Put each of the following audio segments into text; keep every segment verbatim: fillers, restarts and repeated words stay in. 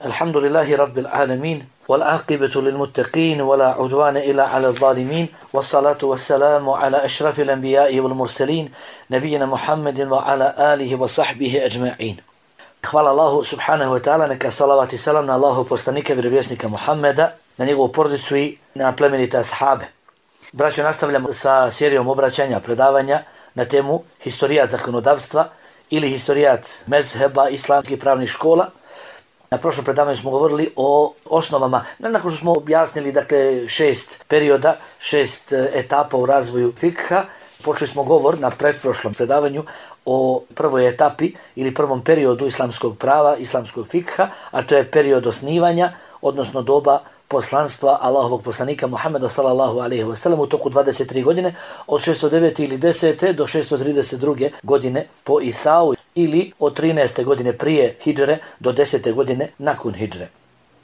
الحمد لله رب العالمين والعاقبة للمتقين ولا عدوان إلا على الظالمين والصلاة والسلام على أشرف الأنبياء والمرسلين نبينا محمد وعلى آله وصحبه أجمعين. Hvala Allahu subhanahu wa ta'ala, neka salavat i salam na Allahu poslanika vjerovjesnika Muhammeda, na njegovu porodicu i na plemenite ashabe. Braćo, nastavljamo sa serijom obraćanja, predavanja na temu historija zakonodavstva ili historijat mezheba islamskih pravnih škola. Na prošlom predavanju smo govorili o osnovama, nakon što smo objasnili dakle šest perioda, šest etapa u razvoju fikha. Počeli smo govor na pretprošlom predavanju o prvoj etapi ili prvom periodu islamskog prava, islamskog fikha, a to je period osnivanja, odnosno doba poslanstva Allahovog poslanika Muhammeda sallallahu alejhi ve sellem u toku dvadeset tri godine, od šesto devete ili desete do šesto trideset druge godine po Isau, ili od trinaeste godine prije hidžre do desete godine nakon hidžre.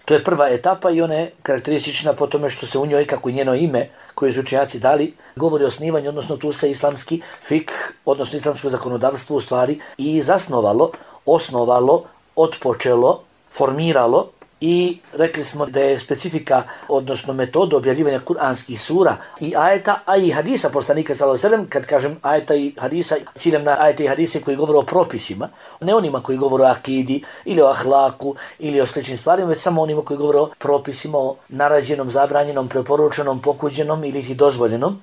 To je prva etapa i ona je karakteristična po tome što se u njoj, kako i njeno ime koje su učenjaci dali, govori o osnivanju, odnosno tu se islamski fik, odnosno islamsko zakonodavstvo u stvari i zasnovalo, osnovalo, otpočelo, formiralo. I rekli smo da je specifika, odnosno metoda objavljivanja kuranskih sura i ajeta, a i hadisa poslanika sallallahu alejhi ve sellem, kad kažem ajeta i hadisa, ciljem na ajete i hadise koji govore o propisima, ne onima koji govore o akidi ili o ahlaku ili o sličnim stvarima, već samo onima koji govore o propisima, o narađenom, zabranjenom, preporučenom, pokuđenom ili ih dozvoljenom.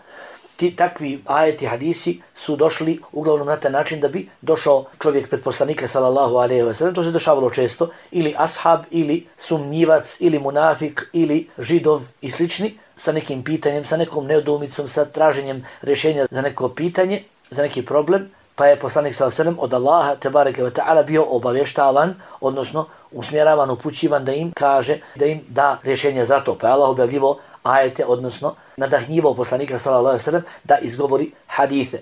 Ti takvi ajeti hadisi su došli uglavnom na taj način da bi došao čovjek pred poslanika sallallahu alejhi ve sellem. To se dešavalo često, ili ashab, ili sumnjivac, ili munafik, ili židov i slični, sa nekim pitanjem, sa nekom nedoumicom, sa traženjem rješenja za neko pitanje, za neki problem, pa je poslanik sallallahu alejhi ve sellem od Allaha tebareke ve ta'ala bio obavještavan, odnosno usmjeravan, upućivan da im kaže, da im da rješenje za to. Pa je Allah objavljivo ajete, odnosno nadahnjivao poslanika sallallahu alejhi ve sellem da izgovori hadise.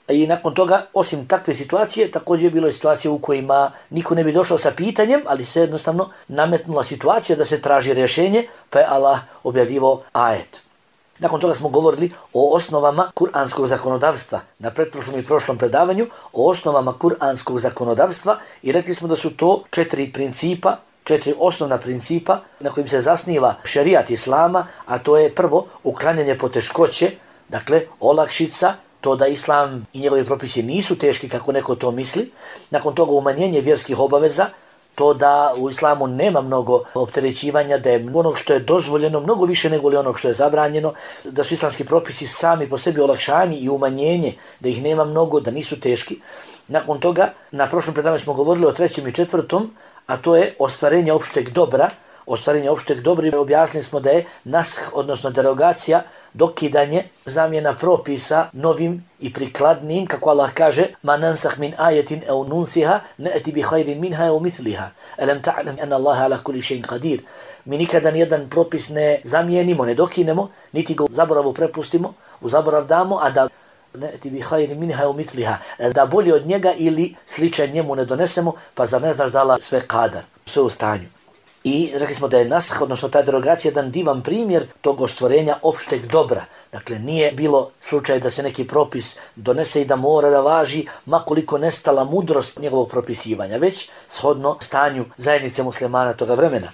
I nakon toga, osim takve situacije, također je bilo situacije u kojima niko ne bi došao sa pitanjem, ali se jednostavno nametnula situacija da se traži rješenje, pa je Allah objavljivao ajet. Nakon toga smo govorili o osnovama kuranskog zakonodavstva na pretprošlom i prošlom predavanju, o osnovama kuranskog zakonodavstva i rekli smo da su to četiri principa, četiri osnovna principa na kojim se zasniva šerijat islama, a to je prvo uklanjanje poteškoće, dakle olakšica, to da islam i njegovi propisi nisu teški kako neko to misli. Nakon toga umanjenje vjerskih obaveza, to da u islamu nema mnogo opterećivanja, da je onog što je dozvoljeno mnogo više nego li onog što je zabranjeno, da su islamski propisi sami po sebi olakšani i umanjenje, da ih nema mnogo, da nisu teški. Nakon toga, na prošlom predavanju smo govorili o trećem i četvrtom, a to je ostvarenje opšteg dobra. Ostvarenje opšteg dobra i objasnili smo da je nash, odnosno derogacija, dokidanje, zamjena propisa novim i prikladnim, kako Allah kaže: "Ma nansakh min ayatin aw nunsiha na'ti bi khayrin minha aw mithliha. Alam ta'lam anna Allaha ala kulli shay'in qadir." Mi nikada nijedan propis ne zamijenimo, ne dokinemo, niti ga u zaboravu prepustimo, u zaborav damo, a da na'ti bi khayrin minha aw mithliha, da bolje od njega ili sličan njemu ne donesemo, pa zar ne znaš da Allah sve kadar, sve u stanju. I rekli smo da je naskh, odnosno ta derogacija, jedan divan primjer tog ostvarenja opšteg dobra. Dakle, nije bilo slučaj da se neki propis donese i da mora da važi, makoliko nestala mudrost njegovog propisivanja, već shodno stanju zajednice muslimana toga vremena.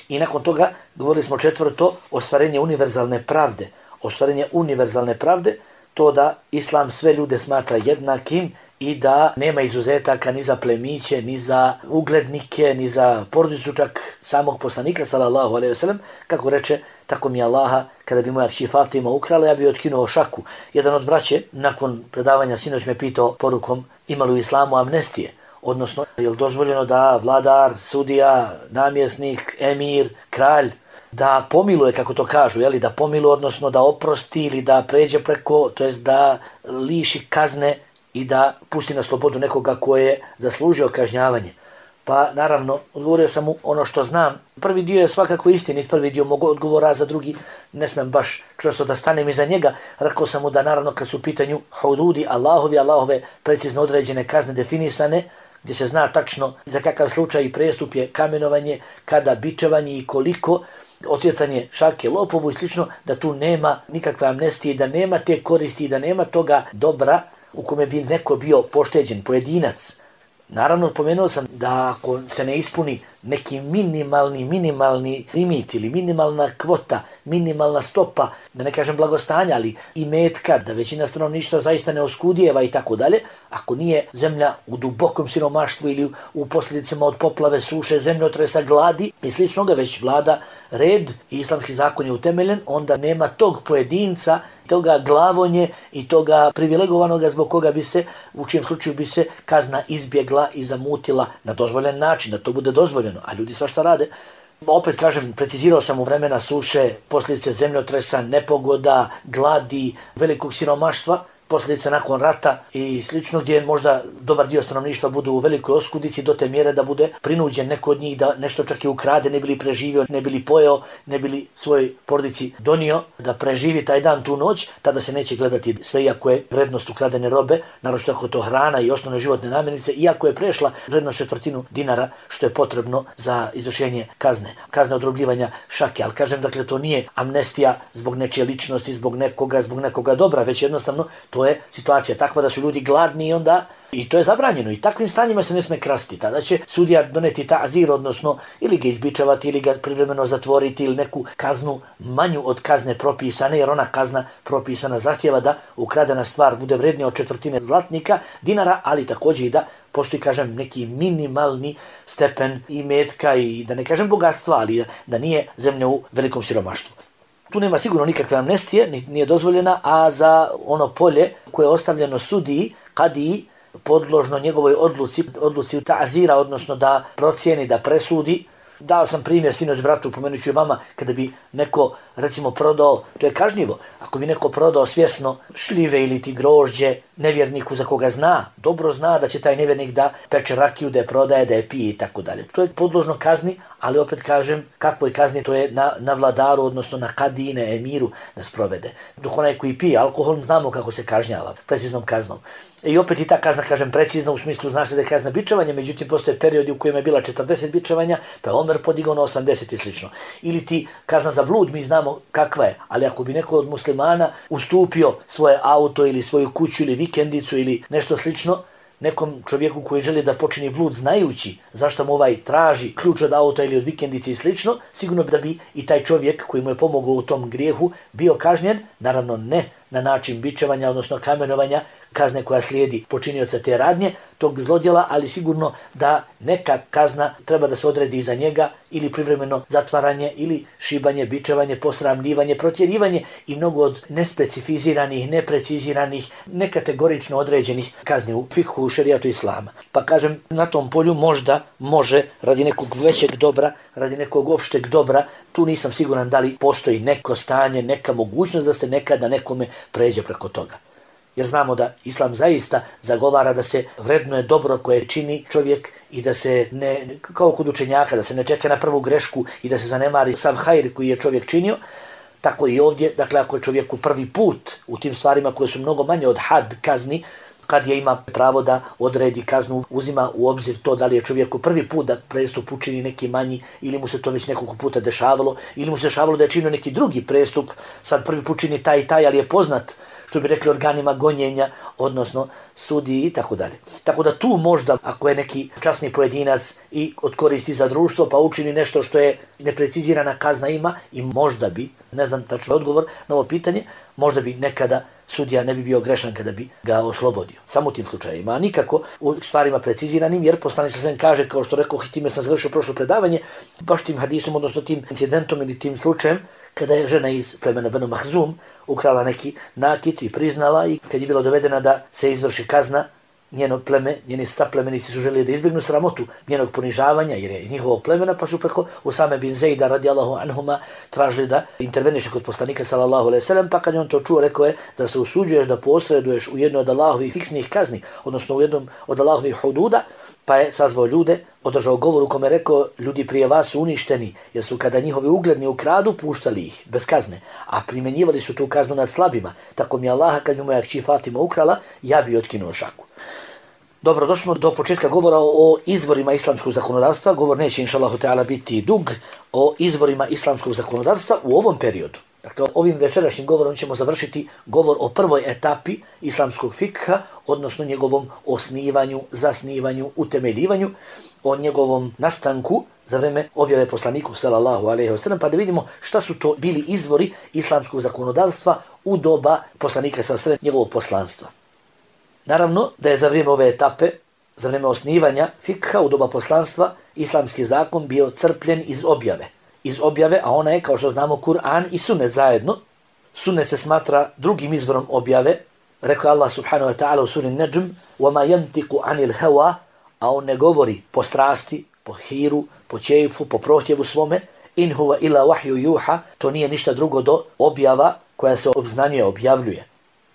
I nakon toga govorili smo četvrto, ostvarenje univerzalne pravde. Ostvarenje univerzalne pravde, to da islam sve ljude smatra jednakim i da nema izuzetaka ni za plemiće, ni za uglednike, ni za porodicu čak samog poslanika sallallahu alejhi ve sellem, kako reče: "Tako mi Allaha, kada bi moja kći Fatima ukrala, ja bi otkinuo šaku." Jedan od braće nakon predavanja sinoć me pitao porukom: "Ima li u islamu amnestije?" Odnosno, je li dozvoljeno da vladar, sudija, namjesnik, emir, kralj da pomiluje, kako to kažu, jeli, da pomiluje, odnosno da oprosti ili da pređe preko, to jest da liši kazne i da pusti na slobodu nekoga ko je zaslužio kažnjavanje. Pa naravno, odgovorio sam mu ono što znam. Prvi dio je svakako istinit, prvi dio mogu odgovora, za drugi ne smem baš čvrsto da stanem iza njega. Rekao sam mu da naravno kad su u pitanju hududi, Allahovi, Allahove precizno određene kazne definisane, gdje se zna tačno za kakav slučaj i prestup je kamenovanje, kada bičevanje i koliko, odsjecanje šake lopovu i slično, da tu nema nikakve amnestije, da nema te koristi, da nema toga dobra u kome bi neko bio pošteđen, pojedinac. Naravno, pomenuo sam da ako se ne ispuni neki minimalni, minimalni limit ili minimalna kvota, minimalna stopa, da ne kažem blagostanja, ali i metka, da većina stanovništva zaista ne oskudijeva i tako dalje, ako nije zemlja u dubokom siromaštvu ili u posljedicama od poplave, suše, zemljotresa, gladi i sličnoga, već vlada red i islamski zakon je utemeljen, onda nema tog pojedinca, toga glavonje i toga privilegovanog zbog koga bi se, u čijem slučaju bi se kazna izbjegla i zamutila na dozvoljen način, da to bude dozvoljeno, a ljudi svašta rade. Opet kažem, precizirao sam u vremena suše, posljedice zemljotresa, nepogoda, gladi, velikog siromaštva, posljedice nakon rata i slično, gdje možda dobar dio stanovništva budu u velikoj oskudici do te mjere da bude prinuđen neko od njih da nešto čak i ukrade, ne bili preživio, ne bili pojeo, ne bili svoj porodici donio da preživi taj dan, tu noć, tada se neće gledati sve, iako je vrednost ukradene robe, naročito ako to hrana i osnovne životne namirnice, iako je prešla vrednost četvrtinu dinara, što je potrebno za izvršenje kazne. Kazne odrobljivanja šake, ali kažem, dakle, to nije amnestija zbog nečije ličnosti, zbog nekoga, zbog nekoga dobra, već jednostavno to je situacija takva da su ljudi gladni i onda i to je zabranjeno i takvim stanjima se ne sme krasti. Tada će sudija doneti ta'zir, odnosno ili ga izbičavati ili ga privremeno zatvoriti ili neku kaznu manju od kazne propisane, jer ona kazna propisana zahtjeva da ukradena stvar bude vrednija od četvrtine zlatnika, dinara, ali također i da postoji, kažem, neki minimalni stepen i metka i da ne kažem bogatstva, ali da nije zemlja u velikom siromaštvu. Tu nema sigurno nikakve amnestije, nije dozvoljena, a za ono polje koje je ostavljeno sudiji, kadiji, podložno njegovoj odluci, odluci ta'zira, odnosno da procijeni, da presudi. Dao sam primjer sinoć bratu, pomenut ću vama, kada bi neko recimo prodao, to je kažnjivo, ako bi neko prodao svjesno šljive ili ti grožđe nevjerniku za koga zna, dobro zna da će taj nevjernik da peče rakiju, da je prodaje, da je pije i tako dalje. To je podložno kazni, ali opet kažem, kakvoj kazni, to je na, na vladaru, odnosno na kadine, emiru da sprovede. Dok onaj koji pije alkohol, znamo kako se kažnjava, preciznom kaznom. I opet i ta kazna, kažem, precizna u smislu, zna se da je kazna bičevanja, međutim postoje periodi u kojima je bila četrdeset bičevanja, pa je Omer podigao na osamdeset i slično. Ili ti kazna za blud, mi znamo kakva je, ali ako bi neko od muslimana ustupio svoje auto ili svoju kuću ili vikendicu ili nešto slično, nekom čovjeku koji želi da počini blud znajući zašto mu ovaj traži ključ od auta ili od vikendice i slično, sigurno bi da bi i taj čovjek koji mu je pomogao u tom grijehu bio kažnjen, naravno ne na način bičevanja, odnosno kamenovanja, kazne koja slijedi počinioca te radnje, tog zlodjela, ali sigurno da neka kazna treba da se odredi za njega ili privremeno zatvaranje ili šibanje, bičevanje, posramljivanje, protjerivanje i mnogo od nespecificiranih, nepreciziranih, nekategorično određenih kazni u fikhu, u šerijatu islama. Pa kažem, na tom polju možda može radi nekog većeg dobra, radi nekog opšteg dobra, tu nisam siguran da li postoji neko stanje, neka mogućnost da se nekada nekome pređe preko toga. Jer znamo da islam zaista zagovara da se vrednuje dobro koje čini čovjek i da se ne, kao kod učenjaka, da se ne čeka na prvu grešku i da se zanemari sav hajr koji je čovjek činio, tako i ovdje, dakle ako je čovjeku prvi put u tim stvarima koje su mnogo manje od had kazni, kad je ima pravo da odredi kaznu, uzima u obzir to da li je čovjeku prvi put da prestup učini neki manji ili mu se to već nekoliko puta dešavalo ili mu se dešavalo da je činio neki drugi prestup, sad prvi put čini taj i taj, ali je poznat, što bi rekli, organima gonjenja, odnosno sudiji i tako dalje. Tako da tu možda, ako je neki časni pojedinac i odkoristi za društvo, pa učini nešto što je neprecizirana kazna ima i možda bi, ne znam tačno odgovor na ovo pitanje, možda bi nekada sudija ne bi bio grešan kada bi ga oslobodio. Samo u tim slučajima, a nikako u stvarima preciziranim, jer poslanik sallallahu alejhi ve sellem kaže, kao što rekao, i time sam završio prošlo predavanje, baš tim hadisom, odnosno tim incidentom ili tim slučajem, kada je žena iz plemena Benu Mahzum ukrala neki nakit i priznala, i kad je bila dovedena da se izvrši kazna, njeno pleme, njeni saplemenici su želeli da izbjegnu sramotu njenog ponižavanja, jer je iz njihovog plemena, pa su preko Usame bin Zejda radijallahu anhuma tražili da interveniše kod poslanika sallallahu alejhi ve sellem, pa kad je on to čuo, rekao je, zar se usuđuješ da posreduješ u jednoj od Allahovih fiksnih kazni, odnosno u jednom od Allahovih hududa, pa je sazvao ljude, održao govor u kome rekao, ljudi prije vas su uništeni, jer su kada njihovi ugledni ukradu, puštali ih bez kazne, a primjenjivali su tu kaznu nad slabima. Tako mi Allaha, kad mi moja kći Fatima ukrala, ja bi otkinuo šaku. Dobro, došli smo do početka govora o izvorima islamskog zakonodavstva. Govor neće, inšallahu ta'ala, biti dug, o izvorima islamskog zakonodavstva u ovom periodu. Dakle, ovim večerašnjim govorom ćemo završiti govor o prvoj etapi islamskog fikha, odnosno njegovom osnivanju, zasnivanju, utemeljivanju, o njegovom nastanku za vreme objave poslaniku sallallahu alejhi ve sellem, pa da vidimo šta su to bili izvori islamskog zakonodavstva u doba poslanika sallallahu alejhi ve sellem, njegovog poslanstva. Naravno da je za vrijeme ove etape, za vrijeme osnivanja fikha u doba poslanstva, islamski zakon bio crpljen iz objave. Iz objave, a ona je, kao što znamo, Kur'an i sunnet zajedno. Sunnet se smatra drugim izvorom objave. Rekao Allah subhanahu wa ta'ala u suri Najm: وَمَا يَنْتِقُ عَنِ الْهَوَا, a on ne govori po strasti, po hiru, po čeifu, po prohtjevu svome. In huwa ila wahyu yuha, to nije ništa drugo do objava koja se obznanjuje, objavljuje.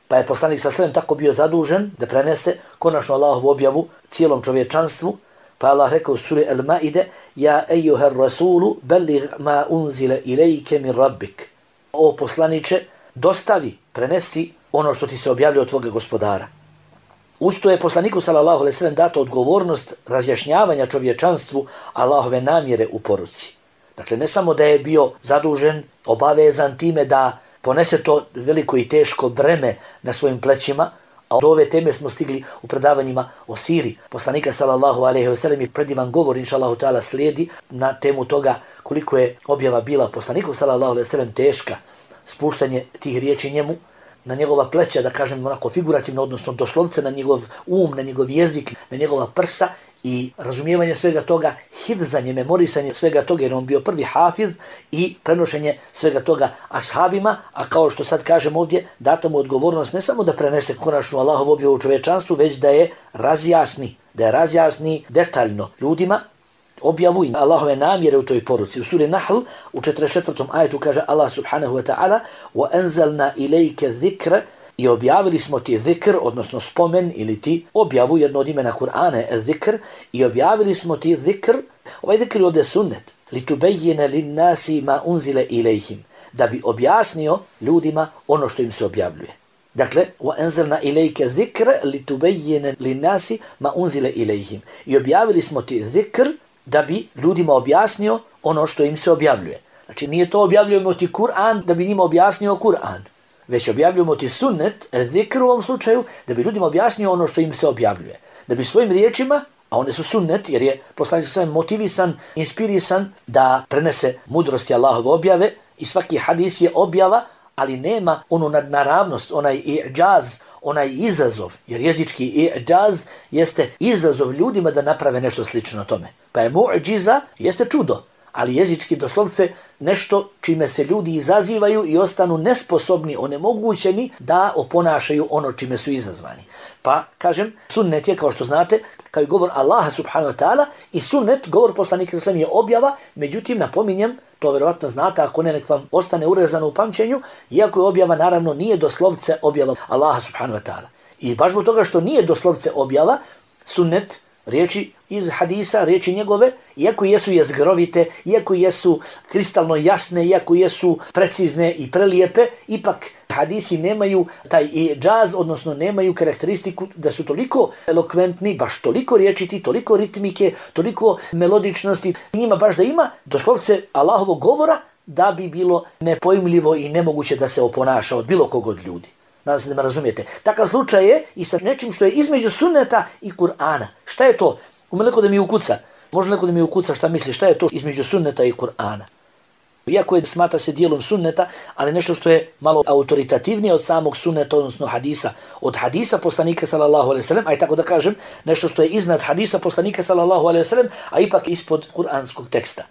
Pa je poslanik sallallahu alejhi ve sellem tako bio zadužen da prenese konačno Allahovu objavu cijelom čovječanstvu. Pa Allah rekao u suri Al-Maide: Ja ejuhar rasulu bellig ma unzile ilajke min rabbik. O poslaniče, dostavi, prenesi ono što ti se objavljuje od tvoga gospodara. Usto je poslaniku sallallahu alejhi ve sellem data odgovornost razjašnjavanja čovječanstvu Allahove namjere u poruci. Dakle, ne samo da je bio zadužen, obavezan time da ponese to veliko i teško breme na svojim plećima, a do ove teme smo stigli u predavanjima o siri poslanika sallallahu alejhi ve sellem i predivan govor inshallahu ta'ala slijedi na temu toga koliko je objava bila poslaniku sallallahu alejhi ve sellem teška, spuštanje tih riječi njemu na njegova pleća, da kažem onako figurativno, odnosno doslovce na njegov um, na njegov jezik, na njegova prsa i razumijevanje svega toga, hifzanje, memorisanje svega toga, jer on bio prvi hafiz, i prenošenje svega toga ashabima, a kao što sad kažem ovdje, data mu odgovornost ne samo da prenese konačnu Allahovu objavu u čovječanstvu, već da je razjasni, da je razjasni detaljno ljudima objavu i Allahove namjere u toj poruci. U suri Nahl u četrdeset četvrtom ajetu kaže Allah subhanahu wa ta'ala: وَأَنْزَلْنَا إِلَيْكَ ذِكْرَ, i objavili smo ti zikr, odnosno spomen ili ti objavu, jedno od imena Kur'ana je zikr, i objavili smo ti zikr, ovaj zikr je ovdje sunnet, لِتُبَيِّنَ لِلنَّاسِ مَا أُنْزِلَ إِلَيْهِمْ, da bi objasnio ljudima ono što im se objavljuje. Dakle, وَأَنْزَلْنَا إِلَيْكَ ذِكْرَ لِتُبَيِّنَ لِلنَّاسِ مَا أُنْزِلَ إِلَيْهِمْ, i objavili smo ti zikr da bi ljudima objasnio ono što im se objavljuje. Znači, nije to objavljujemo ti Kur'an da bi njima objasnio Kur'an, već objavljujemo ti sunnet, zikr u ovom slučaju, da bi ljudima objasnio ono što im se objavljuje. Da bi svojim riječima, a one su sunnet, jer je poslanik sallallahu alejhi ve sellem motivisan, inspirisan da prenese mudrosti Allahove objave, i svaki hadis je objava, ali nema onu nadnaravnost, onaj i'džaz, onaj izazov, jer jezički i'džaz jeste izazov ljudima da naprave nešto slično tome. Pa je mu'džiza, jeste čudo, ali jezički doslovce nešto čime se ljudi izazivaju i ostanu nesposobni, onemogućeni da oponašaju ono čime su izazvani. Pa, kažem, sunnet je, kao što znate, kao i govor Allaha subhanahu wa ta'ala, i sunnet, govor poslanika sallallahu alejhi ve sellem, je objava, međutim, napominjem, to vjerovatno znate, ako ne, nek vam ostane urezano u pamćenju, iako je objava, naravno, nije doslovce objava Allaha subhanahu wa ta'ala. I baš zbog toga što nije doslovce objava, sunnet, riječi iz hadisa, riječi njegove, iako jesu jezgrovite, iako jesu kristalno jasne, iako jesu precizne i prelijepe, ipak hadisi nemaju taj džaz, odnosno nemaju karakteristiku da su toliko elokventni, baš toliko riječiti, toliko ritmike, toliko melodičnosti, njima baš da ima doslovce Allahovog govora da bi bilo nepojmljivo i nemoguće da se oponaša od bilo kog od ljudi. Nadam se da me razumijete. Takav slučaj je i sa nečim što je između sunneta i Kur'ana. Šta je to? Ume neko da mi ukuca. Može neko da mi ukuca šta misli, šta je to između sunneta i Kur'ana. Iako je smatra se dijelom sunneta, ali nešto što je malo autoritativnije od samog sunneta, odnosno hadisa. Od hadisa poslanika sallallahu alejhi ve sellem, a i tako da kažem, nešto što je iznad hadisa poslanika sallallahu alejhi ve sellem, a ipak ispod kuranskog teksta.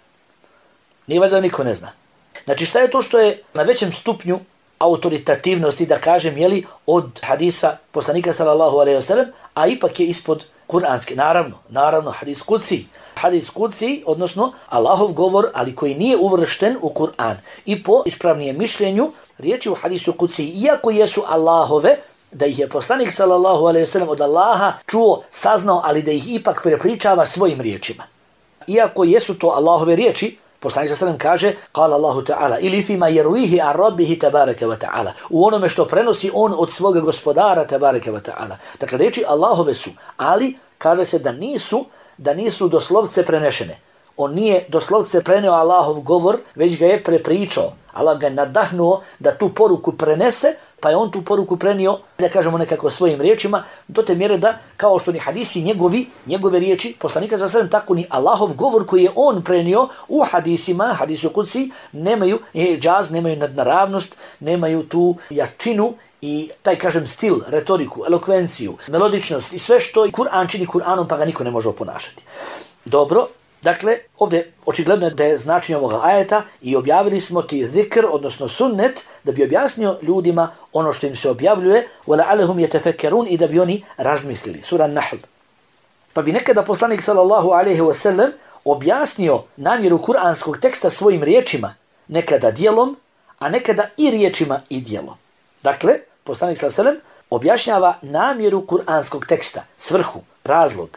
Nije valjda niko ne zna. Znači, šta je to što je na većem stupnju autoritativnosti, da kažem, jeli, od hadisa poslanika sallallahu alejhi ve sellem, a ipak je ispod kuranske. Naravno, naravno, hadis kudsi. Hadis kudsi, odnosno Allahov govor, ali koji nije uvršten u Kur'an. I po ispravnijem mišljenju, riječi u hadisu kudsi, iako jesu Allahove, da ih je poslanik sallallahu alejhi ve sellem od Allaha čuo, saznao, ali da ih ipak prepričava svojim riječima. Iako jesu to Allahove riječi, poslanik sallallahu alejhi ve sellem kaže, kala Allahu ta'ala, ili fima jeruihi ar rabbihi tabaraka wa ta'ala, u onome što prenosi on od svoga gospodara tabaraka wa ta'ala. Dakle, riječi Allahove su, ali kaže se da nisu, da nisu doslovce prenešene. On nije doslovce preneo Allahov govor, već ga je prepričao. Allah ga je nadahnuo da tu poruku prenese, pa je on tu poruku prenio, da kažemo nekako svojim riječima, do te mjere da, kao što ni hadisi njegovi, njegove riječi, poslanika sa sallam, tako ni Allahov govor koji je on prenio u hadisima, hadisu kudsi, nemaju džaz, nemaju nadnaravnost, nemaju tu jačinu i taj, kažem, stil, retoriku, elokvenciju, melodičnost i sve što Kur'an čini Kur'anom, pa ga niko ne može oponašati. Dobro, dakle, ovdje očigledno je da je značenje ovoga ajeta i objavili smo ti zikr, odnosno sunnet, da bi objasnio ljudima ono što im se objavljuje, وَلَعَلَهُمْ يَتَفَكَّرُونَ i da bi oni razmislili. Sura Nahl. Pa bi nekada poslanik sallallahu alejhi ve sellem objasnio namjeru kuranskog teksta svojim riječima, nekada dijelom, a nekada i riječima i dijelom. Dakle, poslanik sallallahu alejhi ve sellem objašnjava namjeru kuranskog teksta, svrhu, razlog.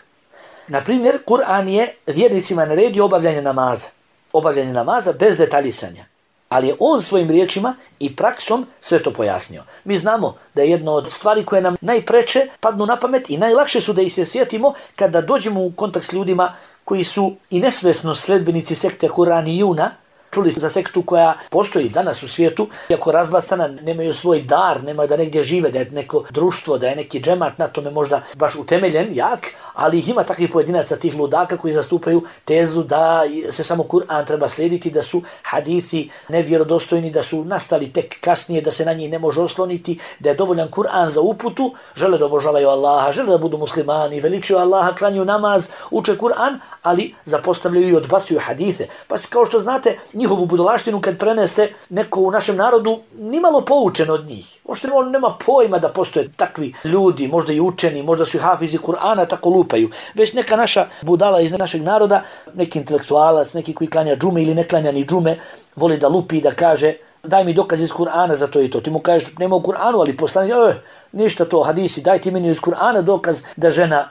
Na primjer, Kur'an je vjernicima naredio obavljanje namaza. Obavljanje namaza bez detaljisanja. Ali je on svojim riječima i praksom sve to pojasnio. Mi znamo da je jedno od stvari koje nam najpreče padnu na pamet i najlakše su da ih se sjetimo kada dođemo u kontakt s ljudima koji su i nesvesno sledbenici sekte Kuranijuna. Čuli za sektu koja postoji danas u svijetu, iako razbacana, nemaju svoj dar, nemaju da negdje žive, da je neko društvo, da je neki džemat na tome možda baš utemeljen, jak, ali ih ima takvih pojedinaca, tih ludaka koji zastupaju tezu da se samo Kur'an treba slijediti, da su hadithi nevjerodostojni, da su nastali tek kasnije, da se na njih ne može osloniti, da je dovoljan Kur'an za uputu, žele da obožavaju Allaha, žele da budu muslimani, veličuju Allaha, klanju namaz, uče Kur'an, ali zapostavljaju i odbacuju hadithe. Pa kao što znate, njihovu budalaštinu kad prenese neko u našem narodu, nimalo poučen od njih. Možda on nema pojma da postoje takvi ljudi, možda i učeni, možda su i hafizi Kur'ana, tako lupaju. Već neka naša budala iz našeg naroda, neki intelektualac, neki koji klanja džume ili ne klanja ni džume, voli da lupi i da kaže daj mi dokaz iz Kur'ana za to i to. Ti mu kažeš nema u Kur'anu, ali poslanik, eh, ništa to, hadisi, daj ti meni iz Kur'ana dokaz da žena.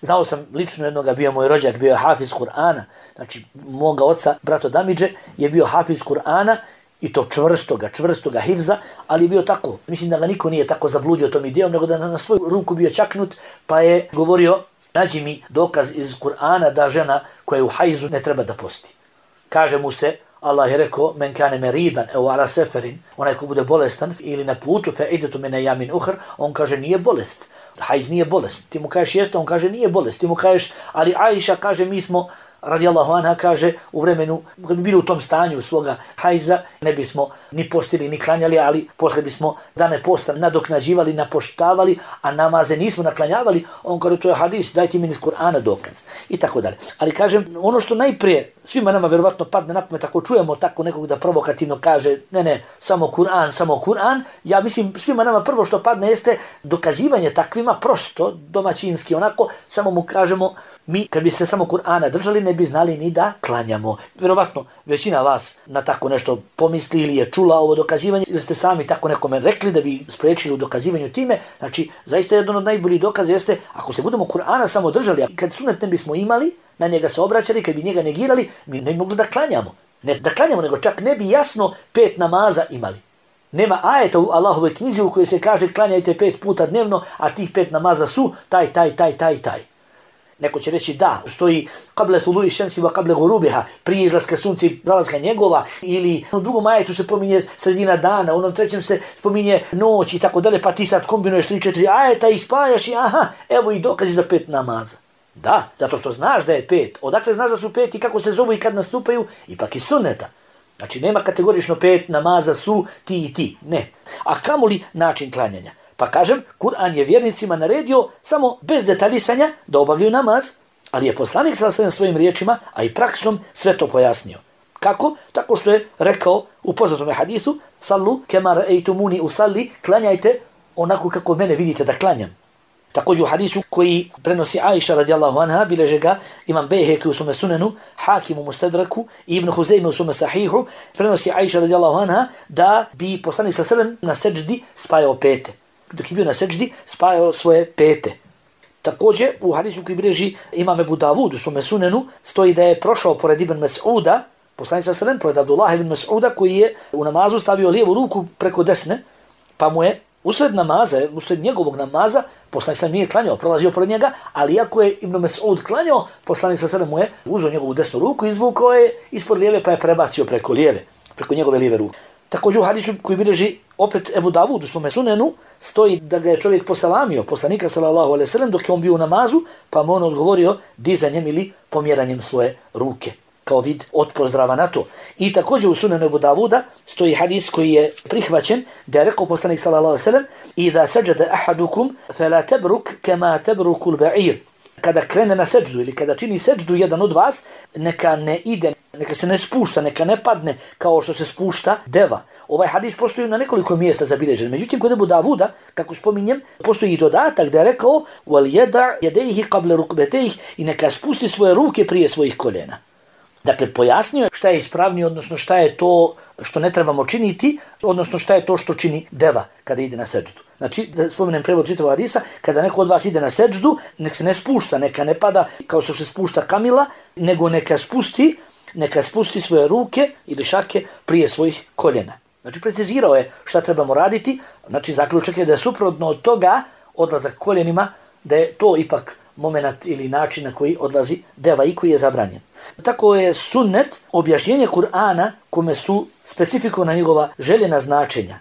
Znao sam lično jednoga, bio moj rođak, bio je hafiz Kur'ana. Znači, moga oca, brato Damidže, je bio hafiz Kur'ana i to čvrstoga, čvrstoga hifza, ali je bio tako. Mislim da ga niko nije tako zabludio tom idejom, nego da na svoju ruku bio čaknut, pa je govorio, nađi mi dokaz iz Kur'ana da žena koja je u hajzu ne treba da posti. Kaže mu se, Allah je rekao, men kane meridan, evo ala seferin, onaj ko bude bolestan ili na putu, fe idetu mene jamin uhr, on kaže nije bolest. Hajz nije bolest. Ti mu kažeš jeste, on kaže nije bolest. Ti mu kažeš, ali Aisha kaže mi smo, radijallahu anha, kaže u vremenu, kad bi bili u tom stanju svoga hajza, ne bismo ni postili ni klanjali, ali posle bismo dane posta nadoknađivali, napoštavali, a namaze nismo naklanjavali. On kaže to je hadis, daj ti meni iz Kur'ana dokaz. I tako dalje. Ali kažem, ono što najprije svima nama vjerovatno padne na pamet, ako čujemo tako nekog da provokativno kaže ne, ne, samo Kur'an, samo Kur'an, ja mislim svima nama prvo što padne jeste dokazivanje takvima prosto, domaćinski, onako, samo mu kažemo, mi kad bi se samo Kur'ana držali ne bi znali ni da klanjamo. Vjerovatno većina vas na tako nešto pomisli ili je čula ovo dokazivanje ili ste sami tako nekome rekli da bi spriječili u dokazivanju time. Znači, zaista jedan od najboljih dokaza jeste ako se budemo Kur'ana samo držali, a kad sunnet ne bismo imali, na njega se obraćali, kad bi njega negirali, mi ne bi mogli da klanjamo. Ne da klanjamo, nego čak ne bi jasno pet namaza imali. Nema ajeta u Allahovoj knjizi u kojoj se kaže klanjajte pet puta dnevno, a tih pet namaza su taj, taj, taj, taj, taj. Neko će reći da, stoji kable tulu'i šemsi wa kable gurubiha, prije izlaska sunca i zalaska njegova, ili u drugom ajetu se pominje sredina dana, u onom trećem se spominje noć i tako dalje, pa ti sad kombinuješ tri četiri ajeta i spajaš i aha, evo i dokazi za pet namaza. Da, zato što znaš da je pet. Odakle znaš da su pet i kako se zovu i kad nastupaju? Ipak i sunneta. Znači nema kategorično pet namaza su ti i ti. Ne. A kamoli način klanjanja? Pa kažem, Kur'an je vjernicima naredio samo bez detaljisanja da obavljaju namaz, ali je poslanik sa svojim riječima, a i praksom sve to pojasnio. Kako? Tako što je rekao u poznatom hadisu, sallu kema ra'aytumuni usalli, klanjajte onako kako mene vidite da klanjam. Također u hadisu koji prenosi Aisha radijallahu anha, bileže ga imam Bejheki u svome sunenu, Hakim u Mustadraku i Ibn Huzeyme u svome sahihu, prenosi Aisha radijallahu anha da bi poslanik sa selem na seđdi spajao pete. Dok je bio na seđdi, spajao svoje pete. Također u hadisu koji bileži imam Ebu Davud u svome sunenu, stoji da je prošao pored Ibn Mas'uda, poslanik sa selem, pored Abdullah ibn Mas'uda koji je u namazu stavio lijevu ruku preko desne, pa mu je usred namaza, usred njegovog namaza, poslanik sa nije klanjao, prolazio pored njega, ali iako je Ibn Mas'ud klanjao, poslanik sa sada mu je uzeo njegovu desnu ruku, izvukao je ispod lijeve pa je prebacio preko lijeve, preko njegove lijeve ruke. Također u hadisu koji bilježi opet Ebu Davud u svome sunenu stoji da ga je čovjek poselamio, poslanika sallallahu alejhi ve sellem, dok je on bio u namazu, pa mu on odgovorio dizanjem ili pomjeranjem svoje ruke kao vid otpozdrava na to. I također u sunenu Ebu Davuda stoji hadis koji je prihvaćen, da je rekao poslanik sallallahu alejhi ve sellem: "Iza sajada ahadukum fala tabruk kama tabruku al-ba'ir." Kada krene na seđdu ili kada čini seđdu jedan od vas, neka ne ide, neka se ne spušta, neka ne padne kao što se spušta deva. Ovaj hadis postoji na nekoliko mjesta zabilježen. Međutim, kod Ebu Davuda, kako spominjem, postoji i dodatak da je rekao: "Wal yada yadayhi qabla rukbatayhi", i neka spusti svoje ruke prije svojih koljena. Dakle, pojasnio je šta je ispravnije, odnosno šta je to što ne trebamo činiti, odnosno šta je to što čini deva kada ide na seđdu. Znači, da spomenem prevod čitavog hadisa, kada neko od vas ide na seđdu, nek se ne spušta, neka ne pada kao što se spušta kamila, nego neka spusti, neka spusti svoje ruke ili šake prije svojih koljena. Znači, precizirao je šta trebamo raditi, znači zaključak je da je suprotno od toga odlazak koljenima, da je to ipak moment ili način na koji odlazi deva i koji je zabranjen. Tako je sunnet objašnjenje Kur'ana kome su specifikovana njegova željena značenja,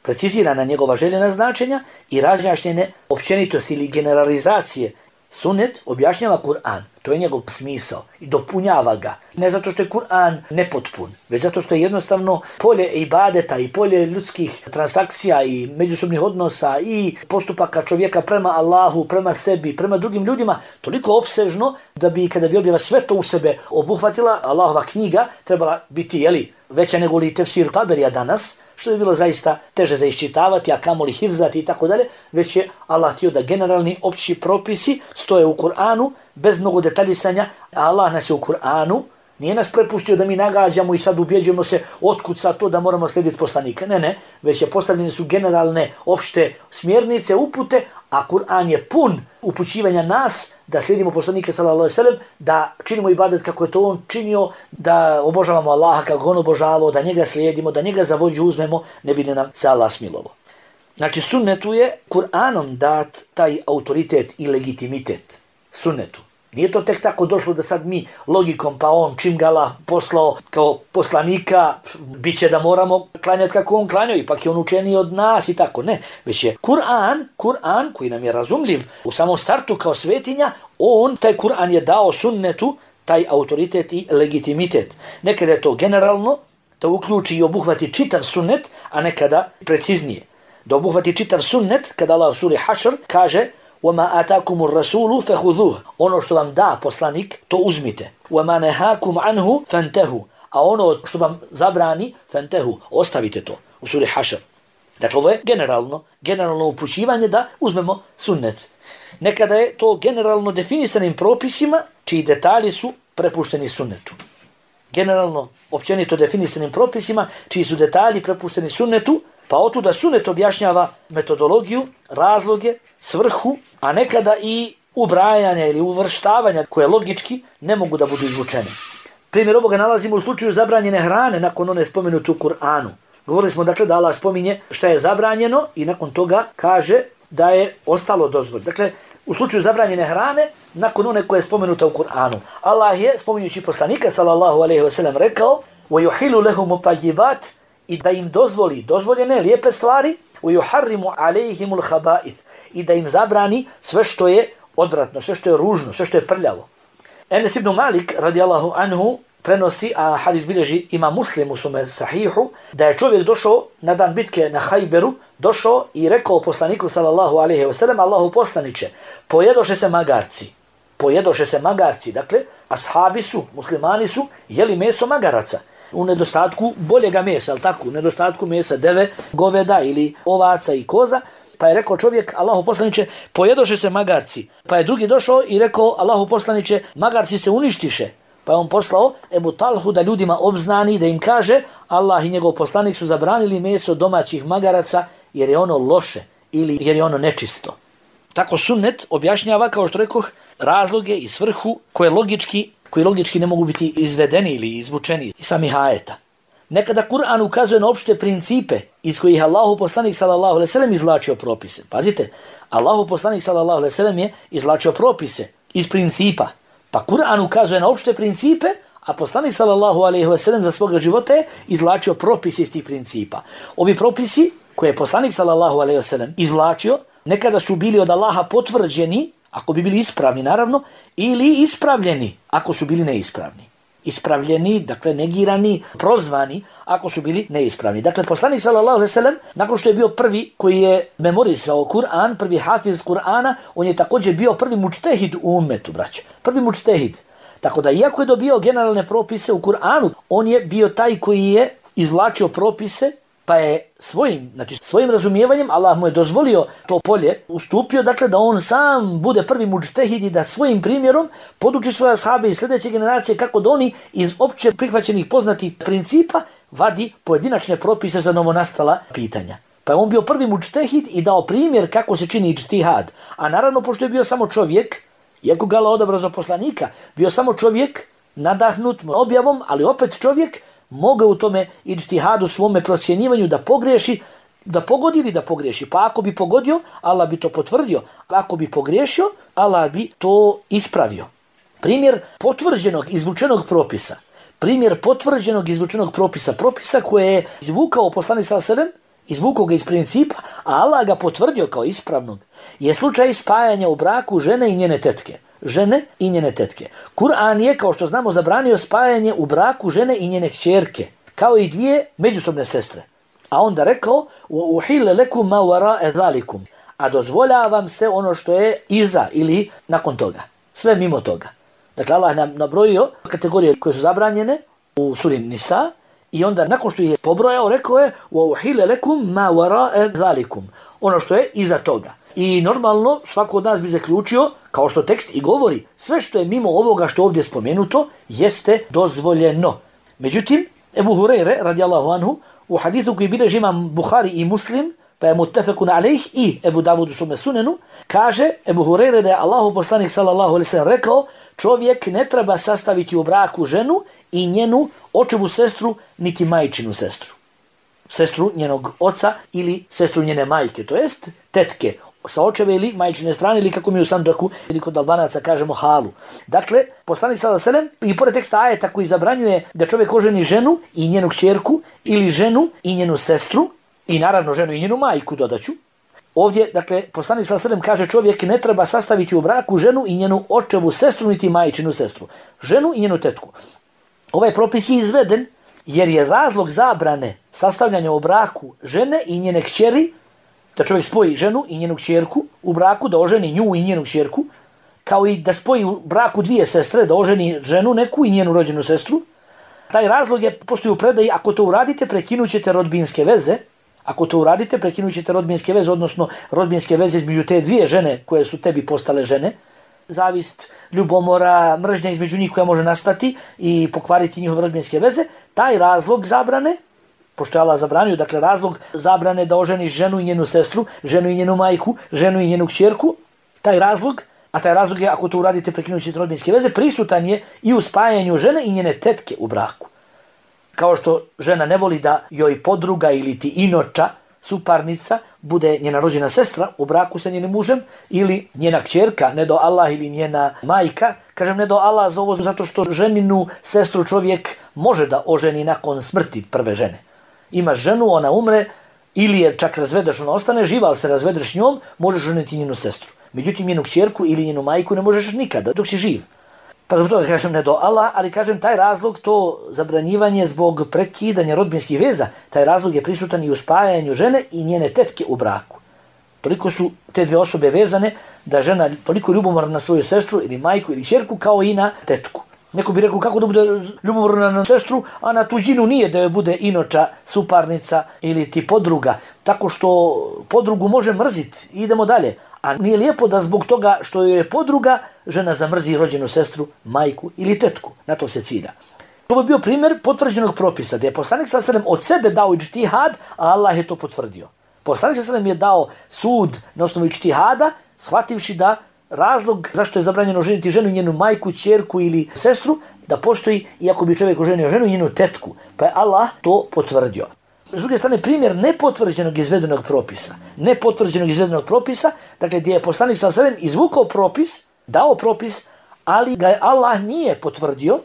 precizirana njegova željena značenja i razjašnjene općenitosti ili generalizacije. Sunnet objašnjava Kur'an, to je njegov smisao i dopunjava ga. Ne zato što je Kur'an nepotpun, već zato što je jednostavno polje ibadeta i polje ljudskih transakcija i međusobnih odnosa i postupaka čovjeka prema Allahu, prema sebi, prema drugim ljudima toliko opsežno da bi kada bi objava sve to u sebe obuhvatila, Allahova knjiga trebala biti, jeli, veća nego li tefsir Taberija danas, što je bilo zaista teže za iščitavati, a kamoli hifzati i tako dalje, već je Allah htio da generalni opći propisi stoje u Kur'anu, bez mnogo detaljisanja, a Allah nas je u Kur'anu, nije nas prepustio da mi nagađamo i sad ubjeđujemo se otkud sad to da moramo slijediti poslanika. Ne, ne, već je postavljene su generalne opšte smjernice, upute, a Kur'an je pun upućivanja nas da slijedimo poslanike sallallahu alejhi ve sellem, da činimo ibadet kako je to on činio, da obožavamo Allaha kako on obožavao, da njega slijedimo, da njega za vođu uzmemo, ne bi nam se Allah smilovao. Znači, sunnetu je Kur'anom dat taj autoritet i legitimitet. Sunnetu. Nije to tek tako došlo da sad mi logikom, pa on čim ga Allah poslao kao poslanika, bit će da moramo klanjati kako on klanjao, ipak je on učeniji od nas i tako. Ne, već je Kur'an, Kur'an koji nam je razumljiv u samom startu kao svetinja, on, taj Kur'an je dao sunnetu taj autoritet i legitimitet. Nekada je to generalno, da uključi i obuhvati čitav sunnet, a nekada preciznije. Da obuhvati čitav sunnet, kada Allah u suri Hašr kaže: وَمَا آتَاكُمُ الرَّسُولُ فَخُذُوهُ, ono što vam da poslanik, to uzmite. وَمَا نَهَاكُمْ عَنْهُ فَانْتَهُ, a ono što vam zabrani, فَانْتَهُ, ostavite to. U suri Hašr. Dakle, ovo je generalno, generalno upućivanje da uzmemo sunnet. Nekada je to generalno definisanim propisima, čiji detalji su prepušteni sunnetu. Generalno, općenito definisanim propisima, čiji su detalji prepušteni sunnetu, pa otuda sunnet objašnjava metodologiju, razloge, svrhu, a nekada i ubrajanja ili uvrštavanja koje logički ne mogu da budu izvučene. Primjer ovoga nalazimo u slučaju zabranjene hrane nakon one spomenute u Kur'anu. Govorili smo dakle da Allah spominje šta je zabranjeno i nakon toga kaže da je ostalo dozvoljeno. Dakle, u slučaju zabranjene hrane, nakon one koje je spomenuta u Kur'anu, Allah je, spominjući poslanika sallallahu alejhi ve sellem, rekao: وَيُحِلُ لَهُمُ طَيِّبَاتِ, i da im dozvoli dozvoljene lijepe stvari, وَيُحَرِّمُ عَلَيْهِمُ الْخَبَائِثِ, i da im zabrani sve što je odvratno, sve što je ružno, sve što je prljavo. Enes ibn Malik radijallahu anhu prenosi, a hadis bilježi ima Muslim u svome sahihu, da je čovjek došao na dan bitke na Hajberu, došao i rekao poslaniku sallallahu alejhi ve sellem: Allahu poslaniče, pojedoše se magarci. Pojedoše se magarci, dakle, ashabi su, muslimani su jeli meso magaraca. U nedostatku boljega mesa, ali tako, u nedostatku mesa deve, goveda ili ovaca i koza, pa je rekao čovjek: Allahu poslaniče, pojedoše se magarci. Pa je drugi došao i rekao: Allahu poslaniče, magarci se uništiše. Pa je on poslao Ebu Talhu da ljudima obznani, da im kaže: Allah i njegov poslanik su zabranili meso domaćih magaraca jer je ono loše ili jer je ono nečisto. Tako sunnet objašnjava, kao što rekoh, razloge i svrhu koje logički, koji logički ne mogu biti izvedeni ili izvučeni iz samih ajeta. Nekada Kur'an ukazuje na opšte principe iz kojih Allahu poslanik sallallahu alejhi ve sellem izvlačio propise. Pazite, Allahu poslanik sallallahu alejhi ve sellem je izvlačio propise iz principa. Pa Kur'an ukazuje na opšte principe, A poslanik sallallahu alejhi ve sellem za svoga života je izvlačio propise iz tih principa. Ovi propisi koje je poslanik sallallahu alejhi ve sellem izvlačio, nekada su bili od Allaha potvrđeni, ako bi bili ispravni naravno, ili ispravljeni, ako su bili neispravni. Ispravljeni, dakle negirani, prozvani, ako su bili neispravni. Dakle, poslanik sallallahu alejhi ve sellem, nakon što je bio prvi koji je memorisao Kur'an, prvi hafiz Kur'ana, on je također bio prvi mučtehid u ummetu, braće. Prvi mučtehid. Tako da, iako je dobio generalne propise u Kur'anu, on je bio taj koji je izvlačio propise, pa je svojim, znači svojim razumijevanjem, Allah mu je dozvolio to polje, ustupio, dakle da on sam bude prvi mučtehid i da svojim primjerom poduči svoje ashabe i sljedeće generacije kako da oni iz opće prihvaćenih poznatih principa vadi pojedinačne propise za novonastala pitanja. Pa je on bio prvi mučtehid i dao primjer kako se čini ijtihad. A naravno, pošto je bio samo čovjek, iako ga Allah odabrao za poslanika, bio samo čovjek, nadahnut objavom, ali opet čovjek, mogao u tome ijtihadu svome procjenjivanju da pogriješi, da pogodi ili da pogriješi. Pa ako bi pogodio, Allah bi to potvrdio. A ako bi pogriješio, Allah bi to ispravio. Primjer potvrđenog, izvučenog propisa. Primjer potvrđenog, izvučenog propisa. Propisa koje je izvukao poslanik sallallahu alejhi ve sellem, izvukao ga iz principa, a Allah ga potvrdio kao ispravnog, je slučaj spajanja u braku žene i njene tetke. Žene i njene tetke. Kur'an je, kao što znamo, zabranio spajanje u braku žene i njene kćerke, kao i dvije međusobne sestre. A onda rekao, uhille lekum ma wara'a zalikum, a dozvoljavam se ono što je iza ili nakon toga. Sve mimo toga. Dakle, Allah nam nabrojio kategorije koje su zabranjene u suri Nisa, i onda nakon što je pobrojao, rekao je uhille lekum ma wara'a zalikum, ono što je iza toga. I normalno svako od nas bi zaključio, kao što tekst i govori, sve što je mimo ovoga što ovdje spomenuto jeste dozvoljeno. Međutim, Ebu Hureyre, radijallahu anhu, u hadisu koji bilježi imam Buhari i Muslim, pa je muttefekun alejh, i Ebu Davud u svome sunenu, kaže Ebu Hureyre da je Allahu poslanik sallallahu alejhi ve sellem rekao, čovjek ne treba sastaviti u braku ženu i njenu očevu sestru, niti majčinu sestru. Sestru njenog oca ili sestru njene majke, to jest tetke sa očeve ili majčine strane, ili kako mi u Sandžaku ili kod Albanaca kažemo halu. Dakle, poslanik sallallahu alejhi ve sellem i pored teksta ajeta koji zabranjuje da čovjek oženi ženu i njenu kćerku ili ženu i njenu sestru i naravno ženu i njenu majku dodaću. Ovdje, dakle, poslanik sallallahu alejhi ve sellem kaže čovjek ne treba sastaviti u braku ženu i njenu očevu sestru niti majčinu sestru. Ženu i njenu tetku. Ovaj propis je izveden jer je razlog zabrane sastavljanja u braku žene i njene kćeri, da čovjek spoji ženu i njenu kćerku u braku, da oženi nju i njenu kćerku, kao i da spoji u braku dvije sestre, da oženi ženu neku i njenu rođenu sestru. Taj razlog je, postoji u predaji, ako to uradite, prekinut ćete rodbinske veze, ako to uradite, prekinut ćete rodbinske veze, odnosno rodbinske veze između te dvije žene koje su tebi postale žene, zavist, ljubomora, mržnja između njih koja može nastati i pokvariti njihove rodbinske veze, taj razlog zabrane, pošto je Allah zabranio, dakle razlog zabrane da oženiš ženu i njenu sestru, ženu i njenu majku, ženu i njenu kćerku, taj razlog, a taj razlog je, ako to uradite prekinut ćete rodbinske veze, prisutan je i u spajanju žene i njene tetke u braku. Kao što žena ne voli da joj podruga ili ti inoča, suparnica, bude njena rođena sestra u braku sa njenim mužem, ili njena kćerka, ne do Allah, ili njena majka. Kažem ne do Allah za ovo zato što ženinu sestru čovjek može da oženi nakon smrti prve žene. Imaš ženu, ona umre, ili je čak razvedeš, ona ostane živa, ali se razvedeš njom, možeš ženiti njenu sestru. Međutim, njenu kćerku ili njenu majku ne možeš nikada, dok si živ. Pa zbog toga kažem ne do Allah, ali kažem taj razlog, to zabranjivanje zbog prekidanja rodbinskih veza, taj razlog je prisutan i u spajanju žene i njene tetke u braku. Toliko su te dve osobe vezane da žena toliko ljubomorna na svoju sestru ili majku ili kćerku kao i na tetku. Neko bi rekao kako da bude ljubomorna na sestru, a na tuđinu nije da joj bude inoča, suparnica ili ti podruga. Tako što podrugu može mrziti. Idemo dalje. A nije lijepo da zbog toga što joj je podruga, žena zamrzi rođenu sestru, majku ili tetku. Na to se cilja. To bi bio primjer potvrđenog propisa, da je poslanik sallallahu alejhi ve sellem od sebe dao ijtihad, a Allah je to potvrdio. Poslanik sallallahu alejhi ve sellem je dao sud na osnovu ijtihada, shvativši da razlog zašto je zabranjeno ženiti ženu i njenu majku, ćerku ili sestru, da postoji, iako bi čovjek oženio ženu i njenu tetku. Pa je Allah to potvrdio. S druge strane, primjer nepotvrđenog izvedenog propisa. Nepotvrđenog izvedenog propisa, dakle gdje je poslanik sallallahu alejhi ve sellem izvukao propis, dao propis, ali ga je Allah nije potvrdio,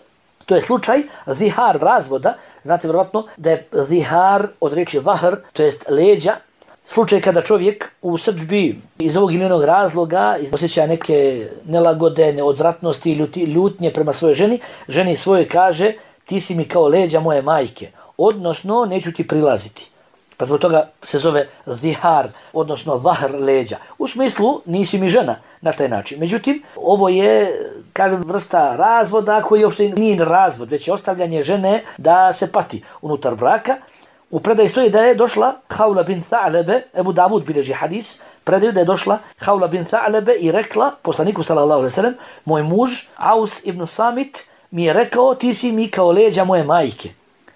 To je slučaj zihar razvoda. Znate vjerovatno da je zihar od riječi zahr, to jest leđa. Slučaj kada čovjek u srdžbi iz ovog ili onog razloga osjeća neke nelagode, neodzvratnosti, ljuti, ljutnje prema svojoj ženi, ženi svojoj kaže ti si mi kao leđa moje majke, odnosno neću ti prilaziti. Pa zbog toga se zove zihar, odnosno zahr leđa. U smislu nisi mi žena na taj način. Međutim, ovo je, kažem, vrsta razvoda koji uopšte nije razvod, već je ostavljanje žene da se pati unutar braka. U predaji stoji da je došla Haula bin Tha'lebe, Ebu Davud bilježi hadis, predaju da je došla Haula bin Tha'lebe i rekla poslaniku sallallahu alejhi ve sellem, moj muž Aus ibn Samit mi je rekao ti si mi kao leđa moje majke,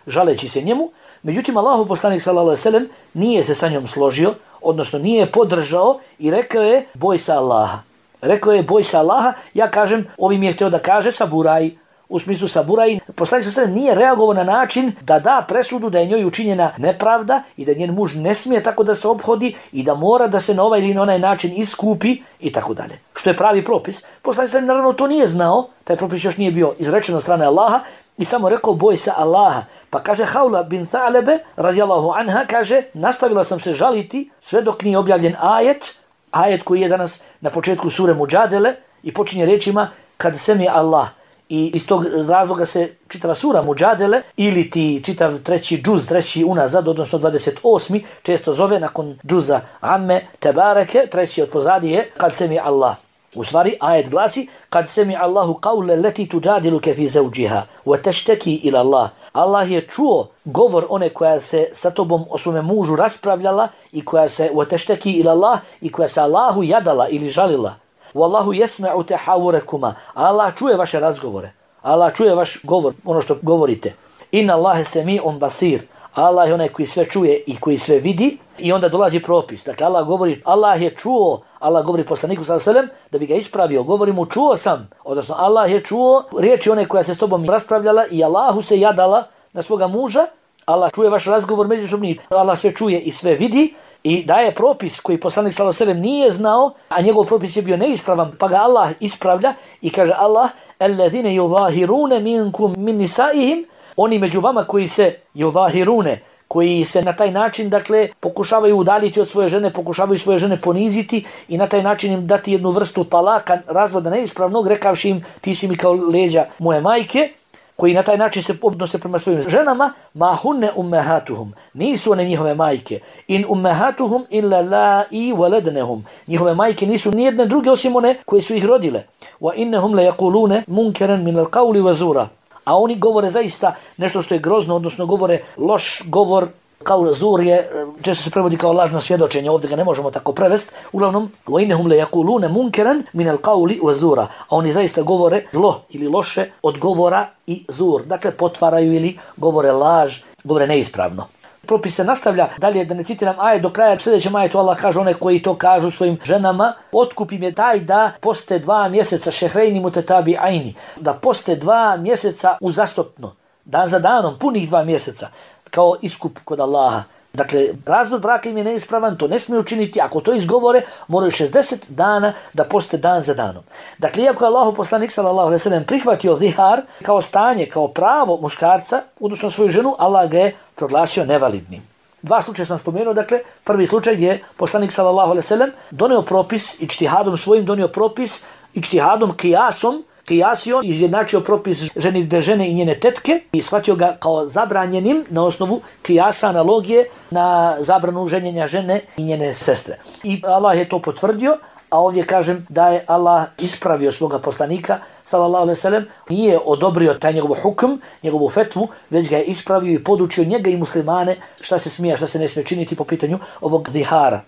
žaleći se njemu. Međutim, Allahu poslanik sallallahu alejhi ve sellem nije se sa njom složio, odnosno nije podržao i rekao je boj se Allaha. Rekao je boj se Allaha, ja kažem, ovim je htio da kaže saburaj, u smislu saburaj. Poslanik sallallahu alejhi ve sellem nije reagovao na način da da presudu da je njoj učinjena nepravda i da njen muž ne smije tako da se ophodi i da mora da se na ovaj ili na onaj način iskupi i tako dalje. Što je pravi propis. Poslanik sallallahu alejhi ve sellem naravno to nije znao, taj propis još nije bio izrečen od strane Allaha, i samo rekao boj se Allaha. Pa kaže Haula bin Tha'lebe radijallahu anha, kaže nastavila sam se žaliti sve dok nije objavljen ajet, ajet koji je danas na početku sure Muđadele i počinje riječima kad semi Allah. I iz tog razloga se čitava sura Muđadele ili ti čitav treći džuz, treći unazad, odnosno dvadeset osmi često zove nakon džuza Amme Tebareke, treći od pozadi je kad semi Allah. U stvari, ajet glasi kad semi Allahu qawle leti tuđadiluke fi zawđiha wa tashtaki ila Allah. Allah je čuo govor one koja se sa tobom o svome mužu raspravljala i koja se wa tashtaki ila Allah i koja se Allahu jadala ili žalila. Wallahu yasma'u tahawurakuma. Allah čuje vaše razgovore. Allah čuje vaš govor, ono što govorite. Inna Allahe semi'un basir. Allah je onaj koji sve čuje i koji sve vidi. I onda dolazi propis. Dakle, Allah govori, Allah je čuo, Allah govori poslaniku sallallahu alejhi ve sellem da bi ga ispravio. Govori mu čuo sam, odnosno Allah je čuo riječi one koja se s tobom raspravljala i Allahu se jadala na svoga muža. Allah čuje vaš razgovor međusobni. Allah sve čuje i sve vidi. I daje propis koji poslanik sallallahu alejhi ve sellem nije znao, a njegov propis je bio neispravan, pa ga Allah ispravlja i kaže Allah alladhina yuzahiruna minkum min nisaihim, oni među vama koji se yuzahirune, koji se na taj način, dakle, pokušavaju udaljiti od svoje žene, pokušavaju svoje žene poniziti i na taj način im dati jednu vrstu talaka, razvoda neispravnog, rekavši im ti si mi kao leđa moje majke, koji na taj način se odnose prema svojim ženama, ma hunne ummahatuhum, nisu one njihove majke, in ummahatuhum illa la i waladnahum, njihove majke nisu nijedne druge osim one koje su ih rodile, wa innahum la yaquluna munkaran min al-qawli wa zura, a oni govore zaista nešto što je grozno, odnosno govore loš govor. Kao zur je, često se prevodi kao lažno svjedočenje, ovdje ga ne možemo tako prevesti. Uglavnom, وَإِنَّهُمْ لَيَقُولُونَ مُنْكَرًا مِنَ الْقَوْلِ وَزُورًا, a oni zaista govore zlo ili loše od govora i zur. Dakle, potvaraju ili govore laž, govore neispravno. Propis se nastavlja dalje, da ne citiram ajet do kraja. Sljedećem ajetu Allah kaže one koji to kažu svojim ženama, otkup im je taj da poste dva mjeseca šehrejni mutetabi ajni, da poste dva mjeseca uzastopno, dan za danom, punih dva mjeseca, kao iskup kod Allaha. Dakle, razvod braka im je neispravan, to ne smije učiniti. Ako to izgovore, moraju šezdeset dana da poste dan za danom. Dakle, iako je Allahu poslanik sallallahu alejhi ve sellem prihvatio zihar kao stanje, kao pravo muškarca, odnosno svoju ženu, Allah ga je proglasio nevalidnim. Dva slučaja sam spomenuo, dakle, prvi slučaj gdje je poslanik sallallahu alejhi ve sellem donio propis, ičtihadom svojim donio propis, ičtihadom, kijasom, kijasio, izjednačio propis ženidbe žene i njene tetke i shvatio ga kao zabranjenim na osnovu kijasa, analogije na zabranu ženjenja žene i njene sestre. I Allah je to potvrdio, a ovdje kažem da je Allah ispravio svoga poslanika, sallallahu alejhi ve sellem, nije odobrio taj njegov hukm, njegovu fetvu, već ga je ispravio i podučio njega i muslimane šta se smije, šta se ne smije činiti po pitanju ovog zihara.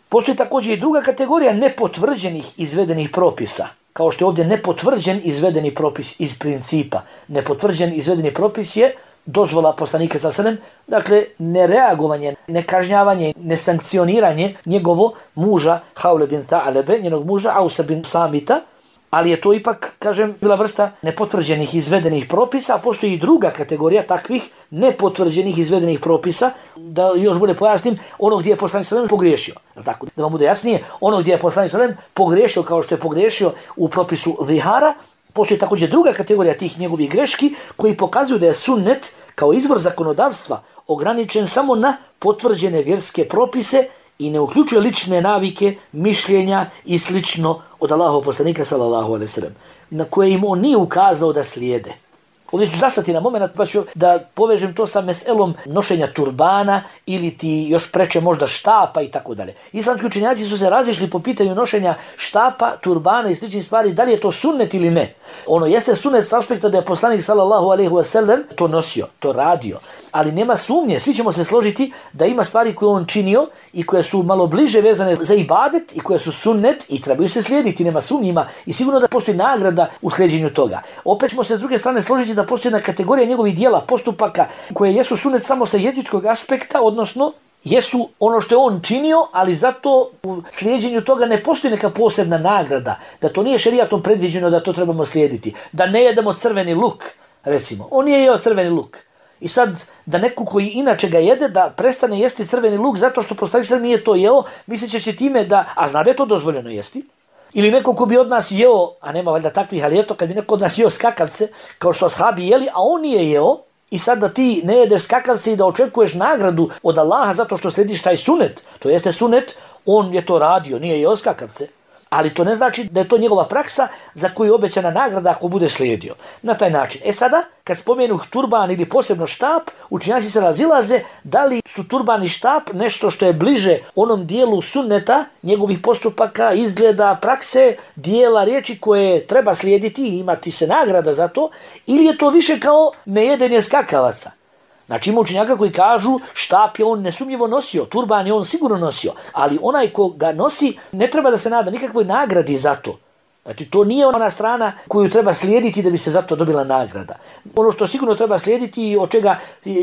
Postoji također i druga kategorija nepotvrđenih izvedenih propisa. Kao što je ovdje nepotvrđen izvedeni propis iz principa. Nepotvrđen izvedeni propis je dozvola poslanika sallallahu alejhi ve sellem, dakle nereagovanje, nekažnjavanje, nesankcioniranje njegovo muža Haule bin Tha'lebe, njenog muža Ausa bin Samita, ali je to ipak, kažem, bila vrsta nepotvrđenih izvedenih propisa, a postoji i druga kategorija takvih nepotvrđenih izvedenih propisa, da još bude pojasnim, ono gdje je poslanik sallallahu alejhi ve sellem pogriješio. Tako, da vam bude jasnije, ono gdje je poslanik sallallahu alejhi ve sellem pogriješio kao što je pogriješio u propisu zihara, Postoji također druga kategorija tih njegovih greški koji pokazuju da je sunnet kao izvor zakonodavstva ograničen samo na potvrđene vjerske propise i ne uključuje lične navike, mišljenja i slično od Allahovog poslanika sallallahu alejhi ve sellem, na koje im on nije ukazao da slijede. Ovdje ću zastati na moment pa ću da povežem to sa meselom nošenja turbana ili ti još preče možda štapa i tako dalje. Islamski učenjaci su se razišli po pitanju nošenja štapa, turbana i sličnih stvari, da li je to sunnet ili ne. Ono jeste sunnet s aspekta da je poslanik sallallahu alejhi ve sellem to nosio, to radio, ali nema sumnje, svi ćemo se složiti da ima stvari koje on činio i koje su malo bliže vezane za ibadet i koje su sunnet i trebaju se slijediti, nema sumnje, ima i sigurno da postoji nagrada u slijedjenju toga. Opet ćemo se s druge strane složiti da postoji jedna kategorija njegovih dijela, postupaka koje jesu sunnet samo sa jezičkog aspekta, odnosno jesu ono što je on činio, ali zato u slijedjenju toga ne postoji neka posebna nagrada, da to nije šerijatom predviđeno da to trebamo slijediti, da ne jedemo crveni luk, recimo, on nije jeo crveni luk. I sad, da neko koji inače ga jede, da prestane jesti crveni luk zato što poslanik sallallahu alejhi ve sellem nije to jeo, misleći će time da, a zna da je to dozvoljeno jesti. Ili neko ko bi od nas jeo, a nema valjda takvih, ali eto, kad bi neko od nas jeo skakavce, kao što ashabi jeli, a on nije jeo, i sad da ti ne jedeš skakavce i da očekuješ nagradu od Allaha zato što slediš taj sunet, to jeste sunet, on je to radio, nije jeo skakavce. Ali to ne znači da je to njegova praksa za koju je obećana nagrada ako bude slijedio. Na taj način. E sada, kad spomenu turban ili posebno štap, učenjaci se razilaze da li su turban i štap nešto što je bliže onom dijelu sunneta, njegovih postupaka, izgleda, prakse, dijela, riječi koje treba slijediti i imati se nagrada za to, ili je to više kao nejedenje skakavaca. Znači ima učenjaka koji kažu štap je on nesumnjivo nosio, turban je on sigurno nosio, ali onaj ko ga nosi ne treba da se nada nikakvoj nagradi za to. Znači to nije ona strana koju treba slijediti da bi se za to dobila nagrada. Ono što sigurno treba slijediti i od čega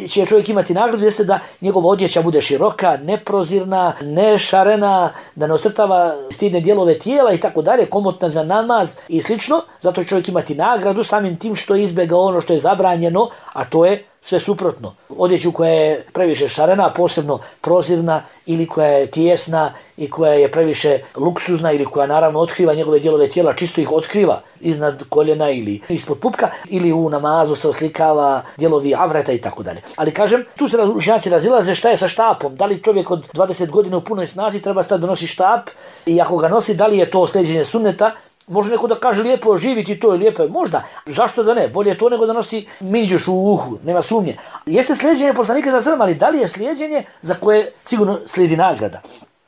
će čovjek imati nagradu jeste da njegova odjeća bude široka, neprozirna, nešarena, da ne ocrtava stidne dijelove tijela i tako dalje, komotna za namaz i slično. Zato će čovjek imati nagradu samim tim što je izbjegao ono što je zabranjeno, a to je sve suprotno. Odjeću koja je previše šarena, posebno prozirna, ili koja je tijesna i koja je previše luksuzna ili koja naravno otkriva njegove dijelove tijela, čisto ih otkriva iznad koljena ili ispod pupka, ili u namazu se oslikava dijelovi avreta i tako dalje. Ali kažem, tu se učenjaci razilaze šta je sa štapom. Da li čovjek od dvadeset godina u punoj snazi treba stati da nosi štap i ako ga nosi, da li je to slijeđenje sunneta? Može neko da kaže lijepo živiti to i lijepo je, možda. Zašto da ne? Bolje je to nego da nosi minđuš u uhu, nema sumnje. Jeste slijedjenje poslanika za sredom, ali da li je slijedjenje za koje sigurno slijedi nagrada?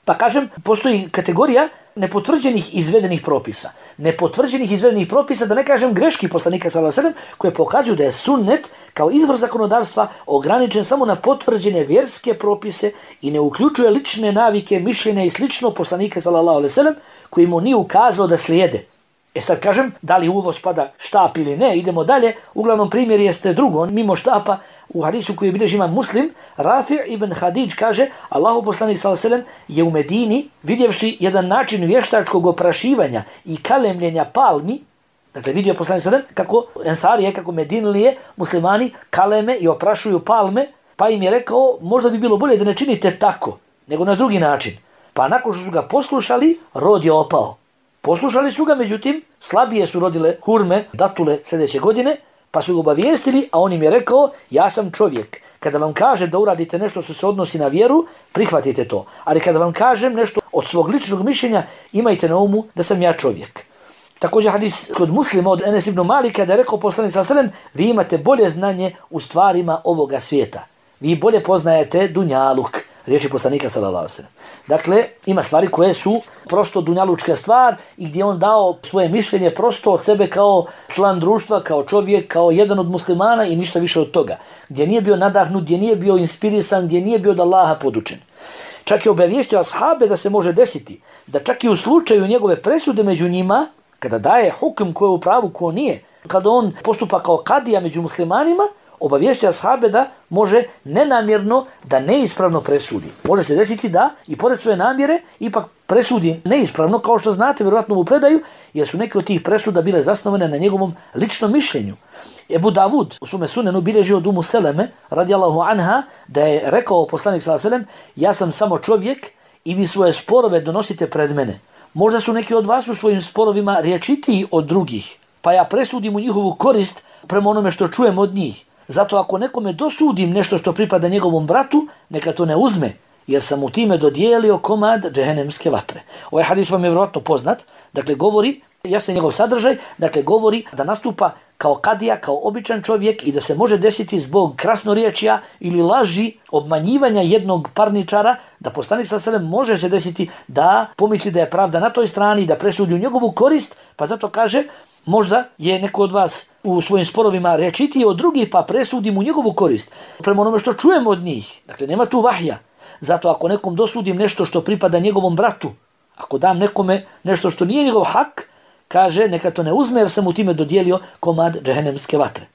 Pa kažem, postoji kategorija nepotvrđenih izvedenih propisa. Nepotvrđenih izvedenih propisa, da ne kažem greški poslanika sallallahu alejhi ve sellem, koje pokazuju da je sunnet kao izvor zakonodavstva ograničen samo na potvrđene vjerske propise i ne uključuje lične navike, mišljenja i slično poslanika sallallahu alejhi ve sellem, koji mu nije ukazao da slijede. E sad kažem, da li u ovo spada štap ili ne, idemo dalje. Uglavnom primjer jeste drugo, mimo štapa, u hadisu koji bilježi imam Muslim, Rafi' ibn Hadidž kaže, Allahu poslanik sallallahu alejhi ve sellem je u Medini, vidjevši jedan način vještačkog oprašivanja i kalemljenja palmi, dakle vidio poslanik sallallahu alejhi ve sellem kako ensarije, kako Medinlije, muslimani kaleme i oprašuju palme, pa im je rekao, možda bi bilo bolje da ne činite tako, nego na drugi način. Pa nakon što su ga poslušali, rod je opao. Poslušali su ga, međutim, slabije su rodile hurme, datule sljedeće godine, pa su ga obavijestili, a on im je rekao, ja sam čovjek. Kada vam kažem da uradite nešto što se odnosi na vjeru, prihvatite to. Ali kada vam kažem nešto od svog ličnog mišljenja, imajte na umu da sam ja čovjek. Također hadis kod Muslima od Enes ibn Malika da je rekao poslanik sallallahu alejhi ve sellem, vi imate bolje znanje u stvarima ovoga svijeta. Vi bolje poznajete dunjaluk. Riječi poslanika sallallahu alejhi ve sellem. Dakle, ima stvari koje su prosto dunjalučka stvar i gdje on dao svoje mišljenje prosto od sebe kao član društva, kao čovjek, kao jedan od muslimana i ništa više od toga. Gdje nije bio nadahnut, gdje nije bio inspirisan, gdje nije bio od Allaha podučen. Čak je obavijestio ashabe da se može desiti, da čak i u slučaju njegove presude među njima, kada daje hukm ko je u pravu, ko nije, kada on postupa kao kadija među muslimanima, obavijestio ashabe da može nenamjerno da neispravno presudi. Može se desiti da i pored svoje namjere ipak presudi neispravno, kao što znate vjerojatno u predaju, jer su neke od tih presuda bile zasnovane na njegovom ličnom mišljenju. Ebu Davud u svome sunenu bilježi od Umu Seleme, radijallahu anha, da je rekao poslanik sallallahu alejhi ve sellem, ja sam samo čovjek i vi svoje sporove donosite pred mene. Možda su neki od vas u svojim sporovima rječitiji od drugih. pa ja presudim u njihovu korist prema onome što čujem od njih. Zato ako nekome dosudim nešto što pripada njegovom bratu, neka to ne uzme, jer sam mu time dodijelio komad džehennemske vatre. Ovaj hadis vam je vjerojatno poznat, dakle govori, jasno je njegov sadržaj, dakle govori da nastupa kao kadija, kao običan čovjek i da se može desiti zbog krasnoriječja ili laži, obmanjivanja jednog parničara, da poslanik sallallahu alejhi ve sellem može se desiti da pomisli da je pravda na toj strani, da presudi u njegovu korist, pa zato kaže, možda je neko od vas u svojim sporovima rečitiji od drugih, pa presudim u njegovu korist. Prema onome što čujem od njih, dakle nema tu vahja. Zato ako nekom dosudim nešto što pripada njegovom bratu, ako dam nekome nešto što nije njegov hak, kaže neka to ne uzme jer sam mu time dodijelio komad džehennemske vatre.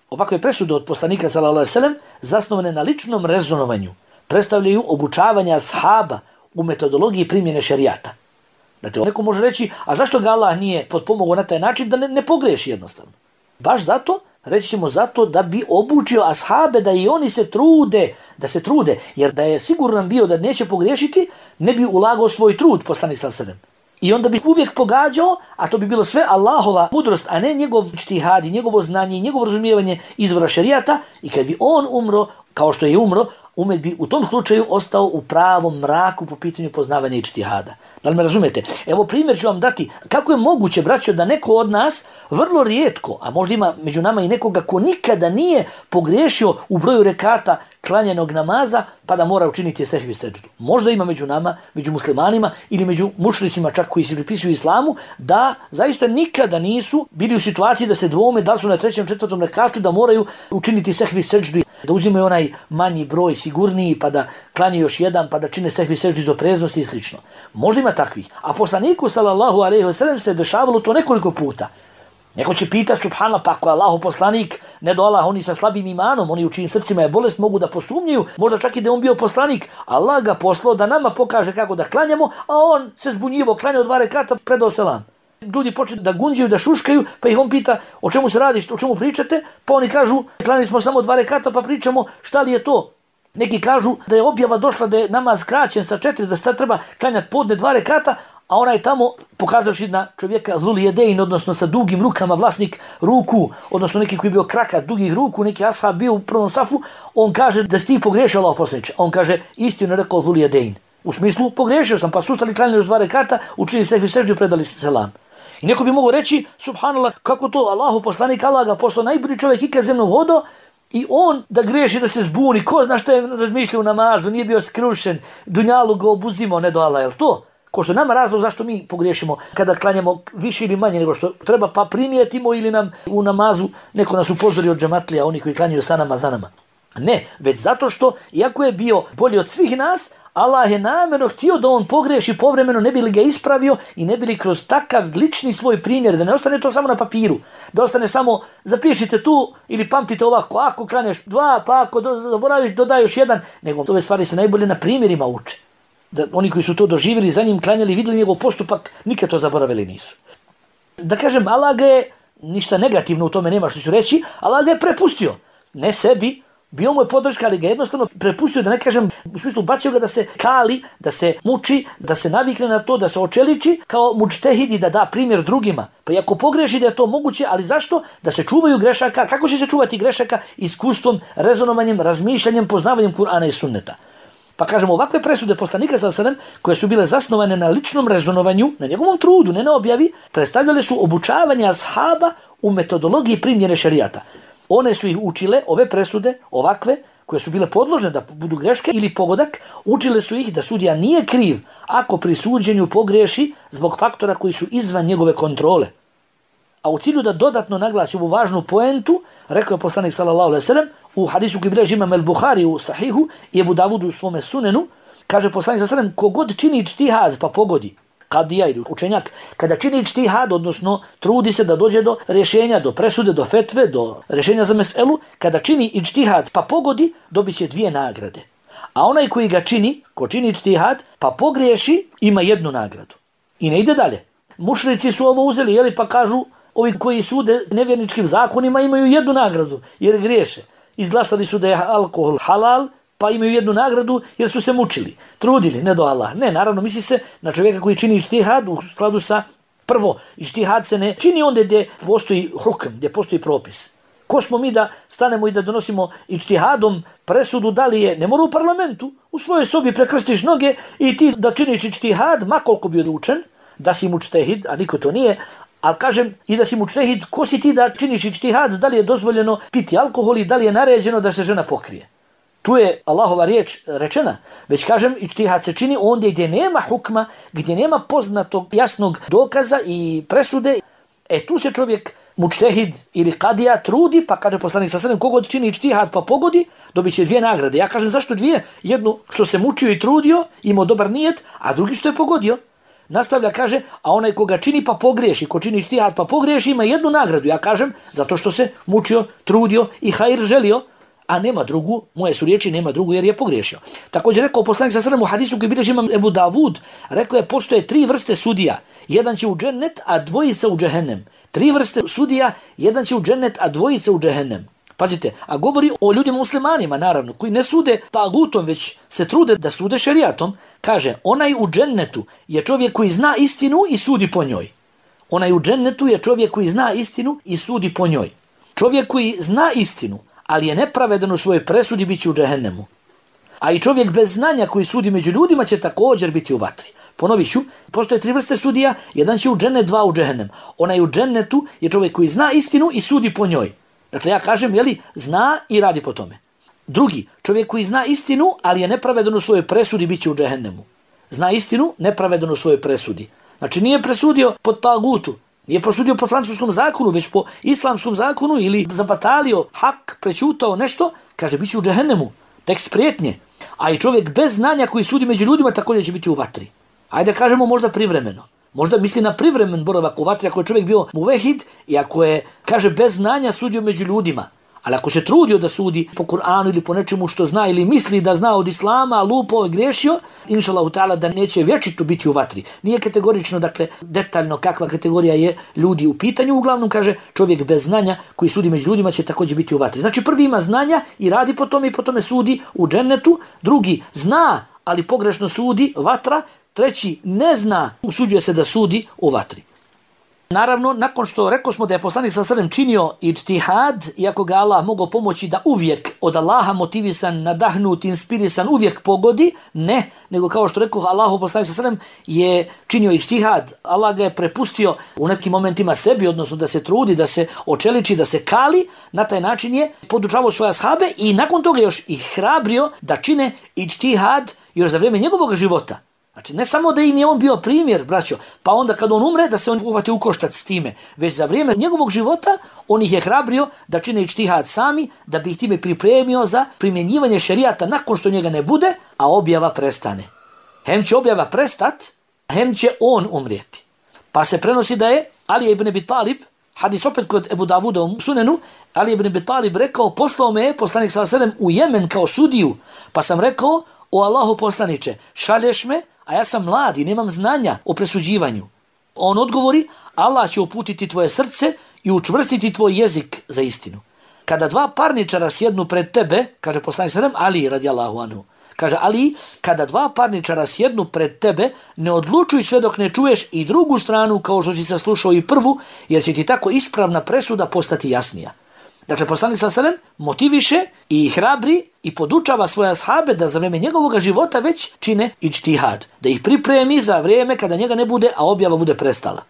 Ovakve presude od poslanika sallallahu alejhi ve sellem zasnovane na ličnom rezonovanju predstavljaju obučavanje ashaba u metodologiji primjene šerijata. Dakle, neko može reći, a zašto ga Allah nije potpomogao na taj način da ne, ne pogreši jednostavno? Baš zato, reći ćemo zato da bi obučio ashabe da i oni se trude, da se trude, jer da je siguran bio da neće pogriješiti, ne bi ulagao svoj trud poslanik sallallahu alejhi ve sellem. I onda bi uvijek pogađao, a to bi bilo sve Allahova mudrost, a ne njegov ijtihad, njegovo znanje, njegovo razumijevanje izvora šerijata. I kad bi on umro, kao što je umro, umet bi u tom slučaju ostao u pravom mraku po pitanju poznavanja ijtihada. Da li me razumete? Evo primjer ću vam dati. Kako je moguće, braćo, da neko od nas vrlo rijetko, a možda ima među nama i nekoga ko nikada nije pogriješio u broju rekata klanjenog namaza, pa da mora učiniti sehvi seđdu. Možda ima među nama, među muslimanima ili među mušricima čak koji se pripisuju islamu, da zaista nikada nisu bili u situaciji da se dvome da su na trećem, četvrtom rekatu da moraju učiniti sehvi seđdu, da uzimaju onaj manji broj, sigurniji, pa da klanje još jedan, pa da čine sehvi seđdu iz opreznosti i slično. Možda ima takvih. A poslaniku sallallahu alejhi ve sellem se dešavalo to nekoliko puta. Neko će pitati, subhanallah, pa ako je Allahu poslanik, ne do Allah, oni sa slabim imanom, oni u čijim srcima je bolest, mogu da posumnjuju, možda čak i da on bio poslanik. Allah ga poslao da nama pokaže kako da klanjamo, a on se zbunjivo, klanjao dva rekata, predao selam. Ljudi počnu da gunđaju, da šuškaju, pa ih on pita o čemu se radi, o čemu pričate, pa oni kažu, klanjali smo samo dva rekata, pa pričamo šta li je to. Neki kažu da je objava došla da je namaz skraćen sa četiri, da se treba klanjati podne dva rekata, a onaj tamo, pokazavši na čovjeka zul jedein, odnosno sa dugim rukama, vlasnik ruku, odnosno neki koji je bio krakat, dugih ruku, neki ashab bio u prvom safu, on kaže da si ti pogriješio, Allah poslaniče. On kaže, istinu je rekao zul jedein. U smislu, pogriješio sam, pa su ustali, klanjali još dva rekata, učili sehvi seždu i predali selam. I neko bi mogao reći, subhanallah, kako to Allahu poslanik, Allah ga poslao najbolji čovjek ikad zemnom vodo, i on da griješi, da se zbuni, ko zna što je razmišljao u namazu, nije bio skrušen, dunjalu ga obuzimao, ne do Allah, je li to? Ko što nama razlog zašto mi pogriješimo kada klanjamo više ili manje nego što treba, pa primijetimo ili nam u namazu neko nas upozori od džematlija, oni koji klanjaju sa nama, za nama. Ne, već zato što, iako je bio bolji od svih nas, Allah je namjerno htio da on pogriješi povremeno, ne bi li ga ispravio i ne bi li kroz takav lični svoj primjer, da ne ostane to samo na papiru, da ostane samo zapišite tu ili pamtite ovako, ako klanjaš dva, pa ako zaboraviš dodaj još jedan, nego ove stvari se najbolje na primjerima uče. Da oni koji su to doživjeli, za njim klanjali, vidjeli njegov postupak, nikad to zaboravili nisu. Da kažem, Allah ga je, ništa negativno u tome nema što ću reći, Allah ga je prepustio, ne sebi, bio mu je podrška, ali ga jednostavno prepustio, da ne kažem, u smislu bacio ga da se kali, da se muči, da se navikne na to, da se očeliči kao mučtehid i da da primjer drugima. Pa i ako pogreši da je to moguće, ali zašto? Da se čuvaju grešaka. Kako će se čuvati grešaka? Iskustvom, rezonovanjem, razmišljanjem, poznavanjem Kur'ana i sunneta. Pa kažemo, ovakve presude poslanika sallallahu alejhi ve sellem, koje su bile zasnovane na ličnom rezonovanju, na njegovom trudu, ne na objavi, predstavljale su obučavanje ashaba u metodologiji primjene šerijata. One su ih učile, ove presude, ovakve, koje su bile podložne da budu greške ili pogodak, učile su ih da sudija nije kriv ako pri suđenju pogriješi zbog faktora koji su izvan njegove kontrole. A u cilju da dodatno naglasi ovu važnu poentu, rekao je poslanik sallallahu alejhi ve sellem u hadisu koji bilježi imam el-Buhari u Sahihu i Ebu Davudu u svome sunenu, kaže poslanik sallallahu alejhi ve sellem, kogod čini ijtihad pa pogodi, kadija ili učenjak, kada čini ijtihad, odnosno trudi se da dođe do rješenja, do presude, do fetve, do rješenja za meselu, kada čini ijtihad pa pogodi, dobit će dvije nagrade. A onaj koji ga čini, ko čini ijtihad pa pogriješi, ima jednu nagradu. I ne ide dalje. Mušrici su ovo uzeli, jeli, pa kažu, ovi koji sude nevjerničkim zakonima imaju jednu nagradu, jer griješe. Izglasali su da je alkohol halal, pa imaju jednu nagradu jer su se mučili, trudili, ne do Allah. Ne, naravno, misli se na čovjeka koji čini ijtihad u skladu sa Prvo, ištihad se ne čini onda gdje postoji hukm, gdje postoji propis. Ko smo mi da stanemo i da donosimo ištihadom presudu, da li je, ne mora u parlamentu, u svojoj sobi prekrstiš noge i ti da činiš ištihad, ma koliko bi odlučen, da si mučtehid, a niko to nije, ali kažem i da si mučtehid, ko si ti da činiš ištihad, da li je dozvoljeno piti alkohol i da li je naređeno da se žena pokrije. Tu je Allahova riječ rečena, već kažem ištihad se čini ondje gdje nema hukma, gdje nema poznatog jasnog dokaza i presude, e tu se čovjek mučtehid ili kadija trudi, pa kaže poslanik sa sallam, kogod čini ištihad pa pogodi, dobit će dvije nagrade. Ja kažem zašto dvije? Jednu što se mučio i trudio, imao dobar nijet, a drugi što je pogodio. Nastavlja, kaže, a onaj koga čini pa pogriješi, ko čini ištihad pa pogriješi, ima jednu nagradu. Ja kažem, zato što se mučio, trudio i hajr želio, a nema drugu, moje su riječi, nema drugu jer je pogriješio. Također rekao poslanik sa sallam u hadisu koji bilježi imam Ebu Davud, rekao je postoje tri vrste sudija, jedan će u džennet, a dvojica u džehennem. Tri vrste sudija, jedan će u džennet, a dvojica u džehennem. Pazite, a govori o ljudima muslimanima, naravno, koji ne sude tagutom, već se trude da sude šerijatom. Kaže, onaj u džennetu je čovjek koji zna istinu i sudi po njoj. Onaj u džennetu je čovjek koji zna istinu i sudi po njoj. Čovjek koji zna istinu, ali je nepravedan u svojoj presudi, bit će u džehennemu. A i čovjek bez znanja koji sudi među ljudima će također biti u vatri. Ponovit ću, postoje tri vrste sudija, jedan će u džennet, dva u džehennem. Onaj u džennetu je čovjek koji zna istinu i sudi po njoj. Dakle, ja kažem, jeli, zna i radi po tome. Drugi, čovjek koji zna istinu, ali je nepravedan u svojoj presudi, bit će u džehennemu. Zna istinu, nepravedan u svojoj presudi. Znači, nije presudio po tagutu, nije presudio po francuskom zakonu, već po islamskom zakonu ili zabatalio, hak, prećutao nešto, kaže, bit će u džehennemu. Tekst prijetnje. A i čovjek bez znanja koji sudi među ljudima također će biti u vatri. Ajde kažemo možda privremeno. Možda misli na privremen boravak u vatri ako je čovjek bio muvehid i ako je, kaže, bez znanja sudio među ljudima. Ali ako se trudio da sudi po Kur'anu ili po nečemu što zna ili misli da zna od islama, lupao i griješio, inšallahu ta'ala da neće vječito biti u vatri. Nije kategorično, dakle, detaljno kakva kategorija je ljudi u pitanju. Uglavnom, kaže, čovjek bez znanja koji sudi među ljudima će također biti u vatri. Znači, prvi ima znanja i radi po tome i po tome sudi u džennetu. Drugi zna, ali pogrešno sudi, vatra. Treći ne zna, usuđuje se da sudi u vatri. Naravno, nakon što rekao smo da je poslanik sallallahu alejhi ve sellem činio ijtihad, iako ga Allah mogao pomoći da uvijek od Allaha motivisan, nadahnut, inspirisan, uvijek pogodi, ne, nego kao što rekao Allahu poslanik sallallahu alejhi ve sellem je činio ijtihad, Allah ga je prepustio u nekim momentima sebi, odnosno da se trudi, da se očeliči, da se kali, na taj način je podučavao svoje ashabe i nakon toga još ih hrabrio da čine ijtihad još za vrijeme njegovog života. Znači, ne samo da im je on bio primjer, braćo, pa onda kad on umre, da se on uvati u koštac s time, već za vrijeme njegovog života, on ih je hrabrio da čine ijtihad sami, da bi ih time pripremio za primjenjivanje šerijata nakon što njega ne bude, a objava prestane. Hem će objava prestat, hem će on umrijeti. Pa se prenosi da je Ali ibn Abi Talib, hadis opet kod Ebu Davuda u Sunenu, Ali ibn Abi Talib rekao, poslao me je poslanik sallallahu alejhi ve sellem u Jemen kao sudiju, pa sam rekao, o Allahu poslaniče, šalješ me, a ja sam mlad i nemam znanja o presuđivanju. On odgovori, Allah će uputiti tvoje srce i učvrstiti tvoj jezik za istinu. Kada dva parničara sjednu pred tebe, kaže poslanik sallallahu alejhi ve sellem, Ali radijallahu anhu, kaže Ali, kada dva parničara sjednu pred tebe, ne odlučuj sve dok ne čuješ i drugu stranu kao što si saslušao i prvu, jer će ti tako ispravna presuda postati jasnija. Dakle, poslanik sallallahu alejhi ve sellem motiviše i hrabri i podučava svoje ashabe da za vrijeme njegovog života već čine ijtihad, da ih pripremi za vrijeme kada njega ne bude, a objava bude prestala.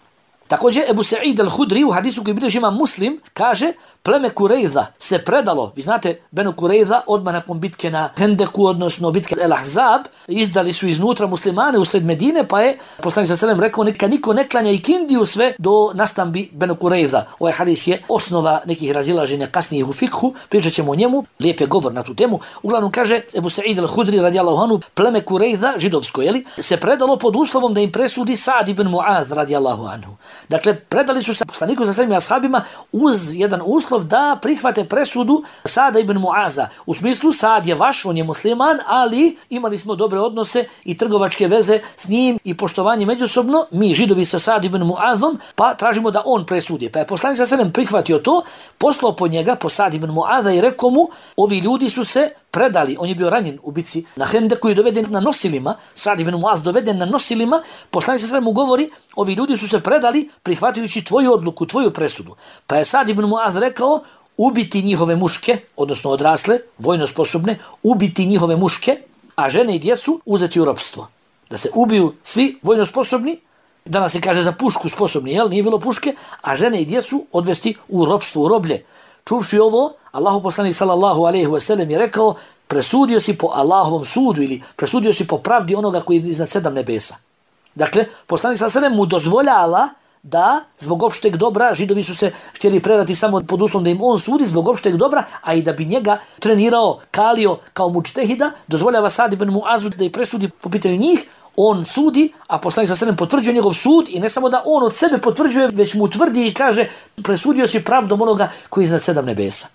Također, Ebu Sa'id al-Hudri u hadisu koji bilježi imam Muslim kaže, pleme Kurejza se predalo, vi znate, Benu Kurejza odmah nakon bitke na Hendeku, odnosno bitke El Ahzab, izdali su iznutra muslimane usred Medine, pa je poslanik sallallahu alejhi ve sellem rekao, neka niko ne klanja ikindiju sve do nastambi Benu Kurejza. Ovaj hadis je osnova nekih razilaženja kasnijih u fikhu, pričat ćemo o njemu, lijep je govor na tu temu. Uglavnom kaže Ebu Sa'id al-Hudri radijallahu anhu, pleme Kurejza, židovsko, jeli, se predalo pod uslovom da im presudi Sa'd ibn Mu'az radijallahu anhu. Dakle, predali su se poslaniku sa svojim ashabima uz jedan uslov da prihvate presudu Sada ibn Mu'aza. U smislu, Sad je vaš, on je musliman, ali imali smo dobre odnose i trgovačke veze s njim i poštovanje međusobno, mi židovi sa Sad ibn Mu'azom, pa tražimo da on presudi. Pa je poslanik sa svojim prihvatio to, poslao po njega, po Sad ibn Mu'aza i rekao mu, ovi ljudi su se predali, on je bio ranjen u bici na Hendeku i doveden na nosilima, Sad ibn Muaz doveden na nosilima, poslanik sallallahu alejhi ve sellem mu govori, ovi ljudi su se predali prihvatajući tvoju odluku, tvoju presudu. Pa je Sad ibn Muaz rekao, ubiti njihove muške, odnosno odrasle, vojno sposobne, ubiti njihove muške, a žene i djecu uzeti u ropstvo. Da se ubiju svi vojno sposobni, danas se kaže za pušku sposobni, jel? Nije bilo puške, a žene i djecu odvesti u ropstvo, u roblje. Čuvši ovo, Allahu poslanik sallallahu alejhi ve sellem je rekao, presudio si po Allahovom sudu ili presudio si po pravdi onoga koji je iznad sedam nebesa. Dakle, poslanik sallallahu alejhi ve sellem mu dozvoljava da zbog opšteg dobra, Židovi su se htjeli predati samo pod uslovom da im on sudi zbog opšteg dobra, a i da bi njega trenirao, kalio kao mučtehida, dozvoljava Sad ibn Muazu da i presudi po pitanju njih, on sudi, a poslanik sallallahu alejhi ve sellem potvrđuje njegov sud i ne samo da on od sebe potvrđuje, već mu tvrdi i kaže presudio si pravdom onoga koji je iznad sedam nebesa.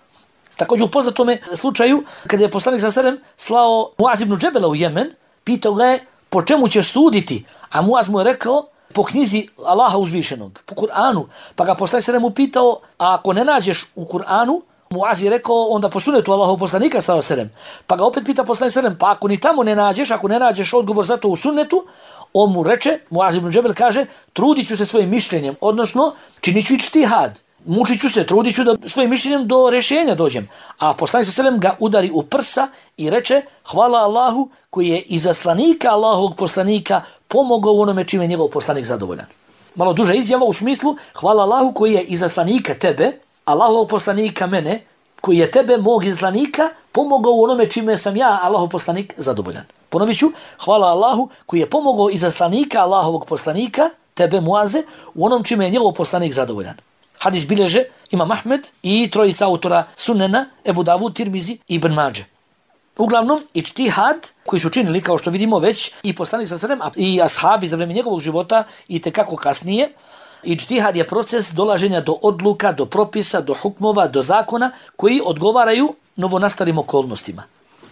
Također u poznatome slučaju, kada je poslanik sallallahu alejhi ve sellem slao Muaz ibn Džebela u Jemen, pitao ga je po čemu ćeš suditi, a Muaz mu je rekao po knjizi Allaha uzvišenog, po Kur'anu. Pa ga poslanik sallallahu alejhi ve sellem upitao, a ako ne nađeš u Kur'anu, Muaz je rekao onda po sunnetu Allahovog poslanika sallallahu alejhi ve sellem. Pa ga opet pita poslanik sallallahu alejhi ve sellem, pa ako ni tamo ne nađeš, ako ne nađeš odgovor za to u sunnetu, on mu reče, Muaz ibn Džebel kaže, trudit ću se svojim mišljenjem, odnosno činit ću ičtihad. Mučit ću se, trudit ću da svojim mišljenjem do rješenja dođem. A poslanik sallallahu alejhi ve sellem ga udari u prsa i reče, hvala Allahu koji je izaslanika Allahovog poslanika pomogao u onome čime je njegov poslanik zadovoljan. Malo duža izjava u smislu, hvala Allahu koji je izaslanika tebe, Allahovog poslanika mene, koji je tebe, mog izaslanika, pomogao u onome čime sam ja, Allahov poslanik, zadovoljan. Ponovit ću, hvala Allahu koji je pomogao izaslanika Allahovog poslanika, tebe Muaze, u onom čime je njegov poslanik zadovoljan. Hadis bileže Imam Ahmed i trojica autora Sunena, Ebu Davud, Tirmizi i Ibn Mađe. Uglavnom, ičtihad koji su činili, kao što vidimo već, i poslanik sallallahu alejhi ve sellem i ashabi za vrijeme njegovog života i tekako kasnije, ičtihad je proces dolaženja do odluka, do propisa, do hukmova, do zakona koji odgovaraju novonastalim okolnostima.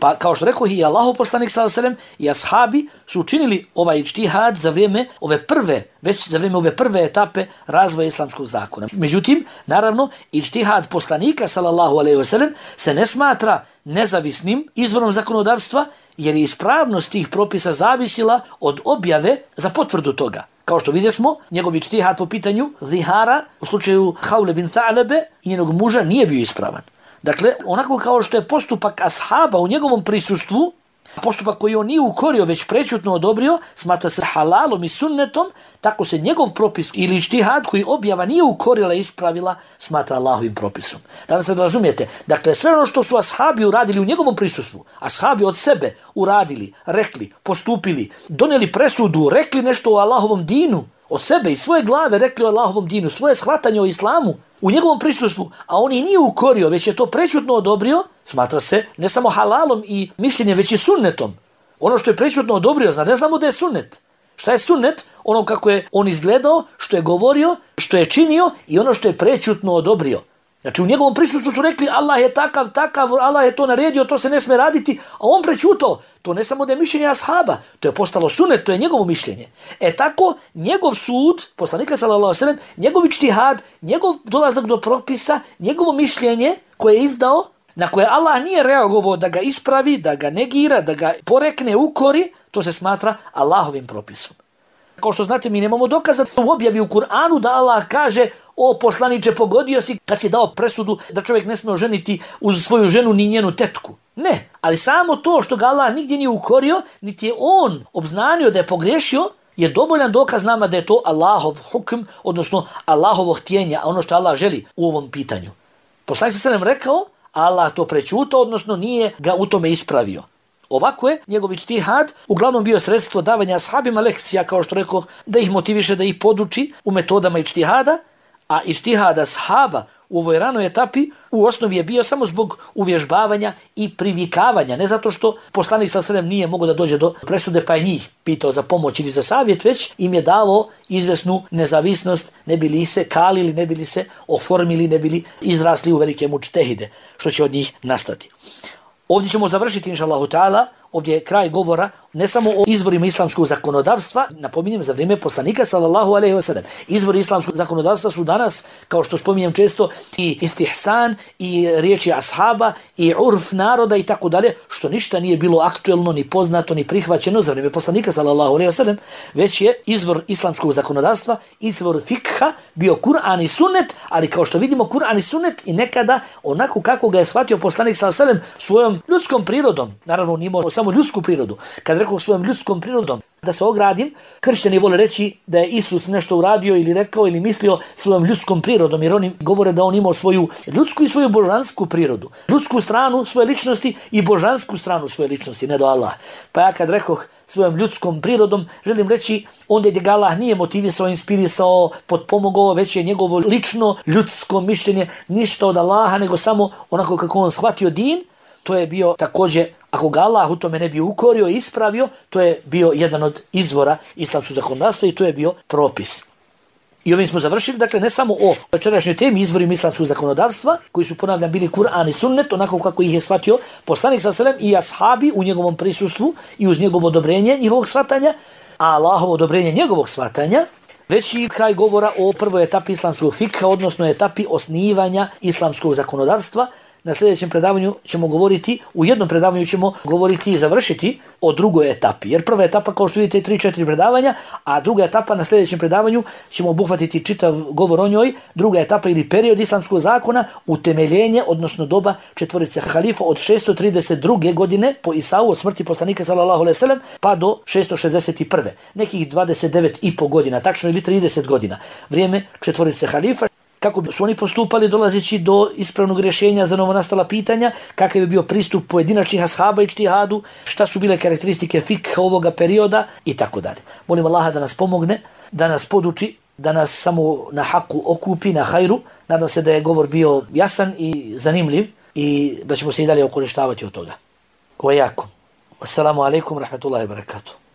Pa kao što rekao i Allahov poslanik sallallahu alejhi ve sellem i ashabi su učinili ovaj ičtihad za vrijeme ove prve, već za vrijeme ove prve etape razvoja islamskog zakona. Međutim, naravno, ičtihad poslanika sallallahu alejhi ve sellem se ne smatra nezavisnim izvorom zakonodavstva, jer je ispravnost tih propisa zavisila od objave za potvrdu toga. Kao što vidjesmo, njegov ičtihad po pitanju zihara u slučaju Haule bin Tha'lebe i njenog muža nije bio ispravan. Dakle, onako kao što je postupak ashaba u njegovom prisustvu, postupak koji on nije ukorio, već prečutno odobrio, smatra se halalom i sunnetom, tako se njegov propis ili ičtihad koji objava nije ukorila i ispravila, smatra Allahovim propisom. Danas se razumijete, dakle, sve ono što su ashabi uradili u njegovom prisustvu, ashabi od sebe uradili, rekli, postupili, donijeli presudu, rekli nešto o Allahovom dinu, od sebe i svoje glave rekli o Allahovom dinu, svoje shvatanje o islamu, u njegovom prisustvu, a on i nije ukorio, već je to prečutno odobrio, smatra se ne samo halalom i mišljenjem, već i sunnetom. Ono što je prečutno odobrio, zna, ne znamo da je sunnet. Šta je sunnet? Ono kako je on izgledao, što je govorio, što je činio i ono što je prečutno odobrio. Znači u njegovom prisustvu su rekli Allah je takav, takav, Allah je to naredio, to se ne sme raditi, a on prečutao. To ne samo da je mišljenje ashaba, to je postalo sunnet, to je njegovo mišljenje. E tako, njegov sud, poslanika sallallahu alejhi ve sellem, njegov ičtihad, njegov dolazak do propisa, njegovo mišljenje koje je izdao, na koje Allah nije reagovao da ga ispravi, da ga negira, da ga porekne, ukori, to se smatra Allahovim propisom. Kao što znate, mi nemamo dokaza u objavi u Kur'anu da Allah kaže o poslaniče, pogodio si kad si dao presudu da čovjek ne smije oženiti uz svoju ženu ni njenu tetku. Ne, ali samo to što ga Allah nigdje nije ukorio, niti je on obznanio da je pogriješio, je dovoljan dokaz nama da je to Allahov hukm, odnosno Allahovo htjenje, ono što Allah želi u ovom pitanju. Poslanik sallallahu alejhi ve sellem rekao, Allah to prečutao, odnosno nije ga u tome ispravio. Ovako je njegov ičtihad uglavnom bio sredstvo davanja ashabima lekcija, kao što rekao, da ih motiviše, da ih poduči u metodama ičtihada, a ičtihad ashaba u ovoj ranoj etapi u osnovi je bio samo zbog uvježbavanja i privikavanja, ne zato što poslanik sallallahu alejhi ve sellem nije mogao da dođe do presude pa je njih pitao za pomoć ili za savjet, već im je dao izvesnu nezavisnost, ne bili se kalili, ne bili se oformili, ne bili izrasli u velike mučtehide, što će od njih nastati. Ovdje ćemo završiti, inša Allahu ta'ala, ovdje je kraj govora ne samo o izvorima islamskog zakonodavstva, napominjem za vrijeme poslanika sallallahu alejhi ve sellem. Izvori islamskog zakonodavstva su danas, kao što spominjem često, i istihsan, i riječi ashaba, i urf naroda i tako dalje, što ništa nije bilo aktuelno, ni poznato, ni prihvaćeno za vrijeme poslanika sallallahu alejhi ve sellem, već je izvor islamskog zakonodavstva, izvor fikha bio Kur'an i sunnet, ali kao što vidimo Kur'an i sunnet i nekada onako kako ga je shvatio poslanik sallallahu alejhi ve sellem svojom ljudskom prirodom. Naravno, on imao samo ljudsku prirodu. Kad rekao svojom ljudskom prirodom, da se ogradim, kršćani vole reći da je Isus nešto uradio ili rekao ili mislio svojom ljudskom prirodom, jer oni govore da on imao svoju ljudsku i svoju božansku prirodu. Ljudsku stranu svoje ličnosti i božansku stranu svoje ličnosti, ne do Allah. Pa ja kad rekoh svojom ljudskom prirodom, želim reći onda gdje ga Allah nije motivisao, inspirisao, potpomogao, već je njegovo lično ljudsko mišljenje ništa od Allaha, nego samo onako kako on shvatio din. To je bio također, ako ga Allah u tome ne bi ukorio i ispravio, to je bio jedan od izvora islamskog zakonodavstva i to je bio propis. I ovim smo završili, dakle, ne samo o večerašnjoj temi izvorima islamskog zakonodavstva, koji su, ponavljam, bili Kur'an i sunnet, onako kako ih je shvatio poslanik sallallahu alejhi ve sellem i ashabi u njegovom prisustvu i uz njegovo odobrenje njihovog shvatanja, a Allahovo odobrenje njegovog shvatanja, već i kraj govora o prvoj etapi islamskog fikha, odnosno etapi osnivanja islamskog zakonodavstva. Na sljedećem predavanju ćemo govoriti, u jednom predavanju ćemo govoriti i završiti o drugoj etapi. Jer prva etapa, kao što vidite, je tri četiri predavanja, a druga etapa na sljedećem predavanju ćemo obuhvatiti čitav govor o njoj. Druga etapa ili period islamskog zakona, utemeljenje, odnosno doba četvorice halifa od šesto trideset druge godine po Isau, od smrti poslanika sallallahu alejhi ve sellem, pa do šesto šezdeset prve. Nekih dvadeset devet i po godina, tačno ili trideset godina. Vrijeme četvorice halifa. Kako su oni postupali dolazeći do ispravnog rješenja za novonastala pitanja, kakav je bio pristup pojedinačnih ashaba i ijtihadu, šta su bile karakteristike fikha ovoga perioda i tako dalje. Molim Allaha da nas pomogne, da nas poduči, da nas samo na haku okupi, na hajru. Nadam se da je govor bio jasan i zanimljiv i da ćemo se i dalje okorištavati od toga. Wa yakum. Assalamu alaikum rahmatullahi wa barakatuh.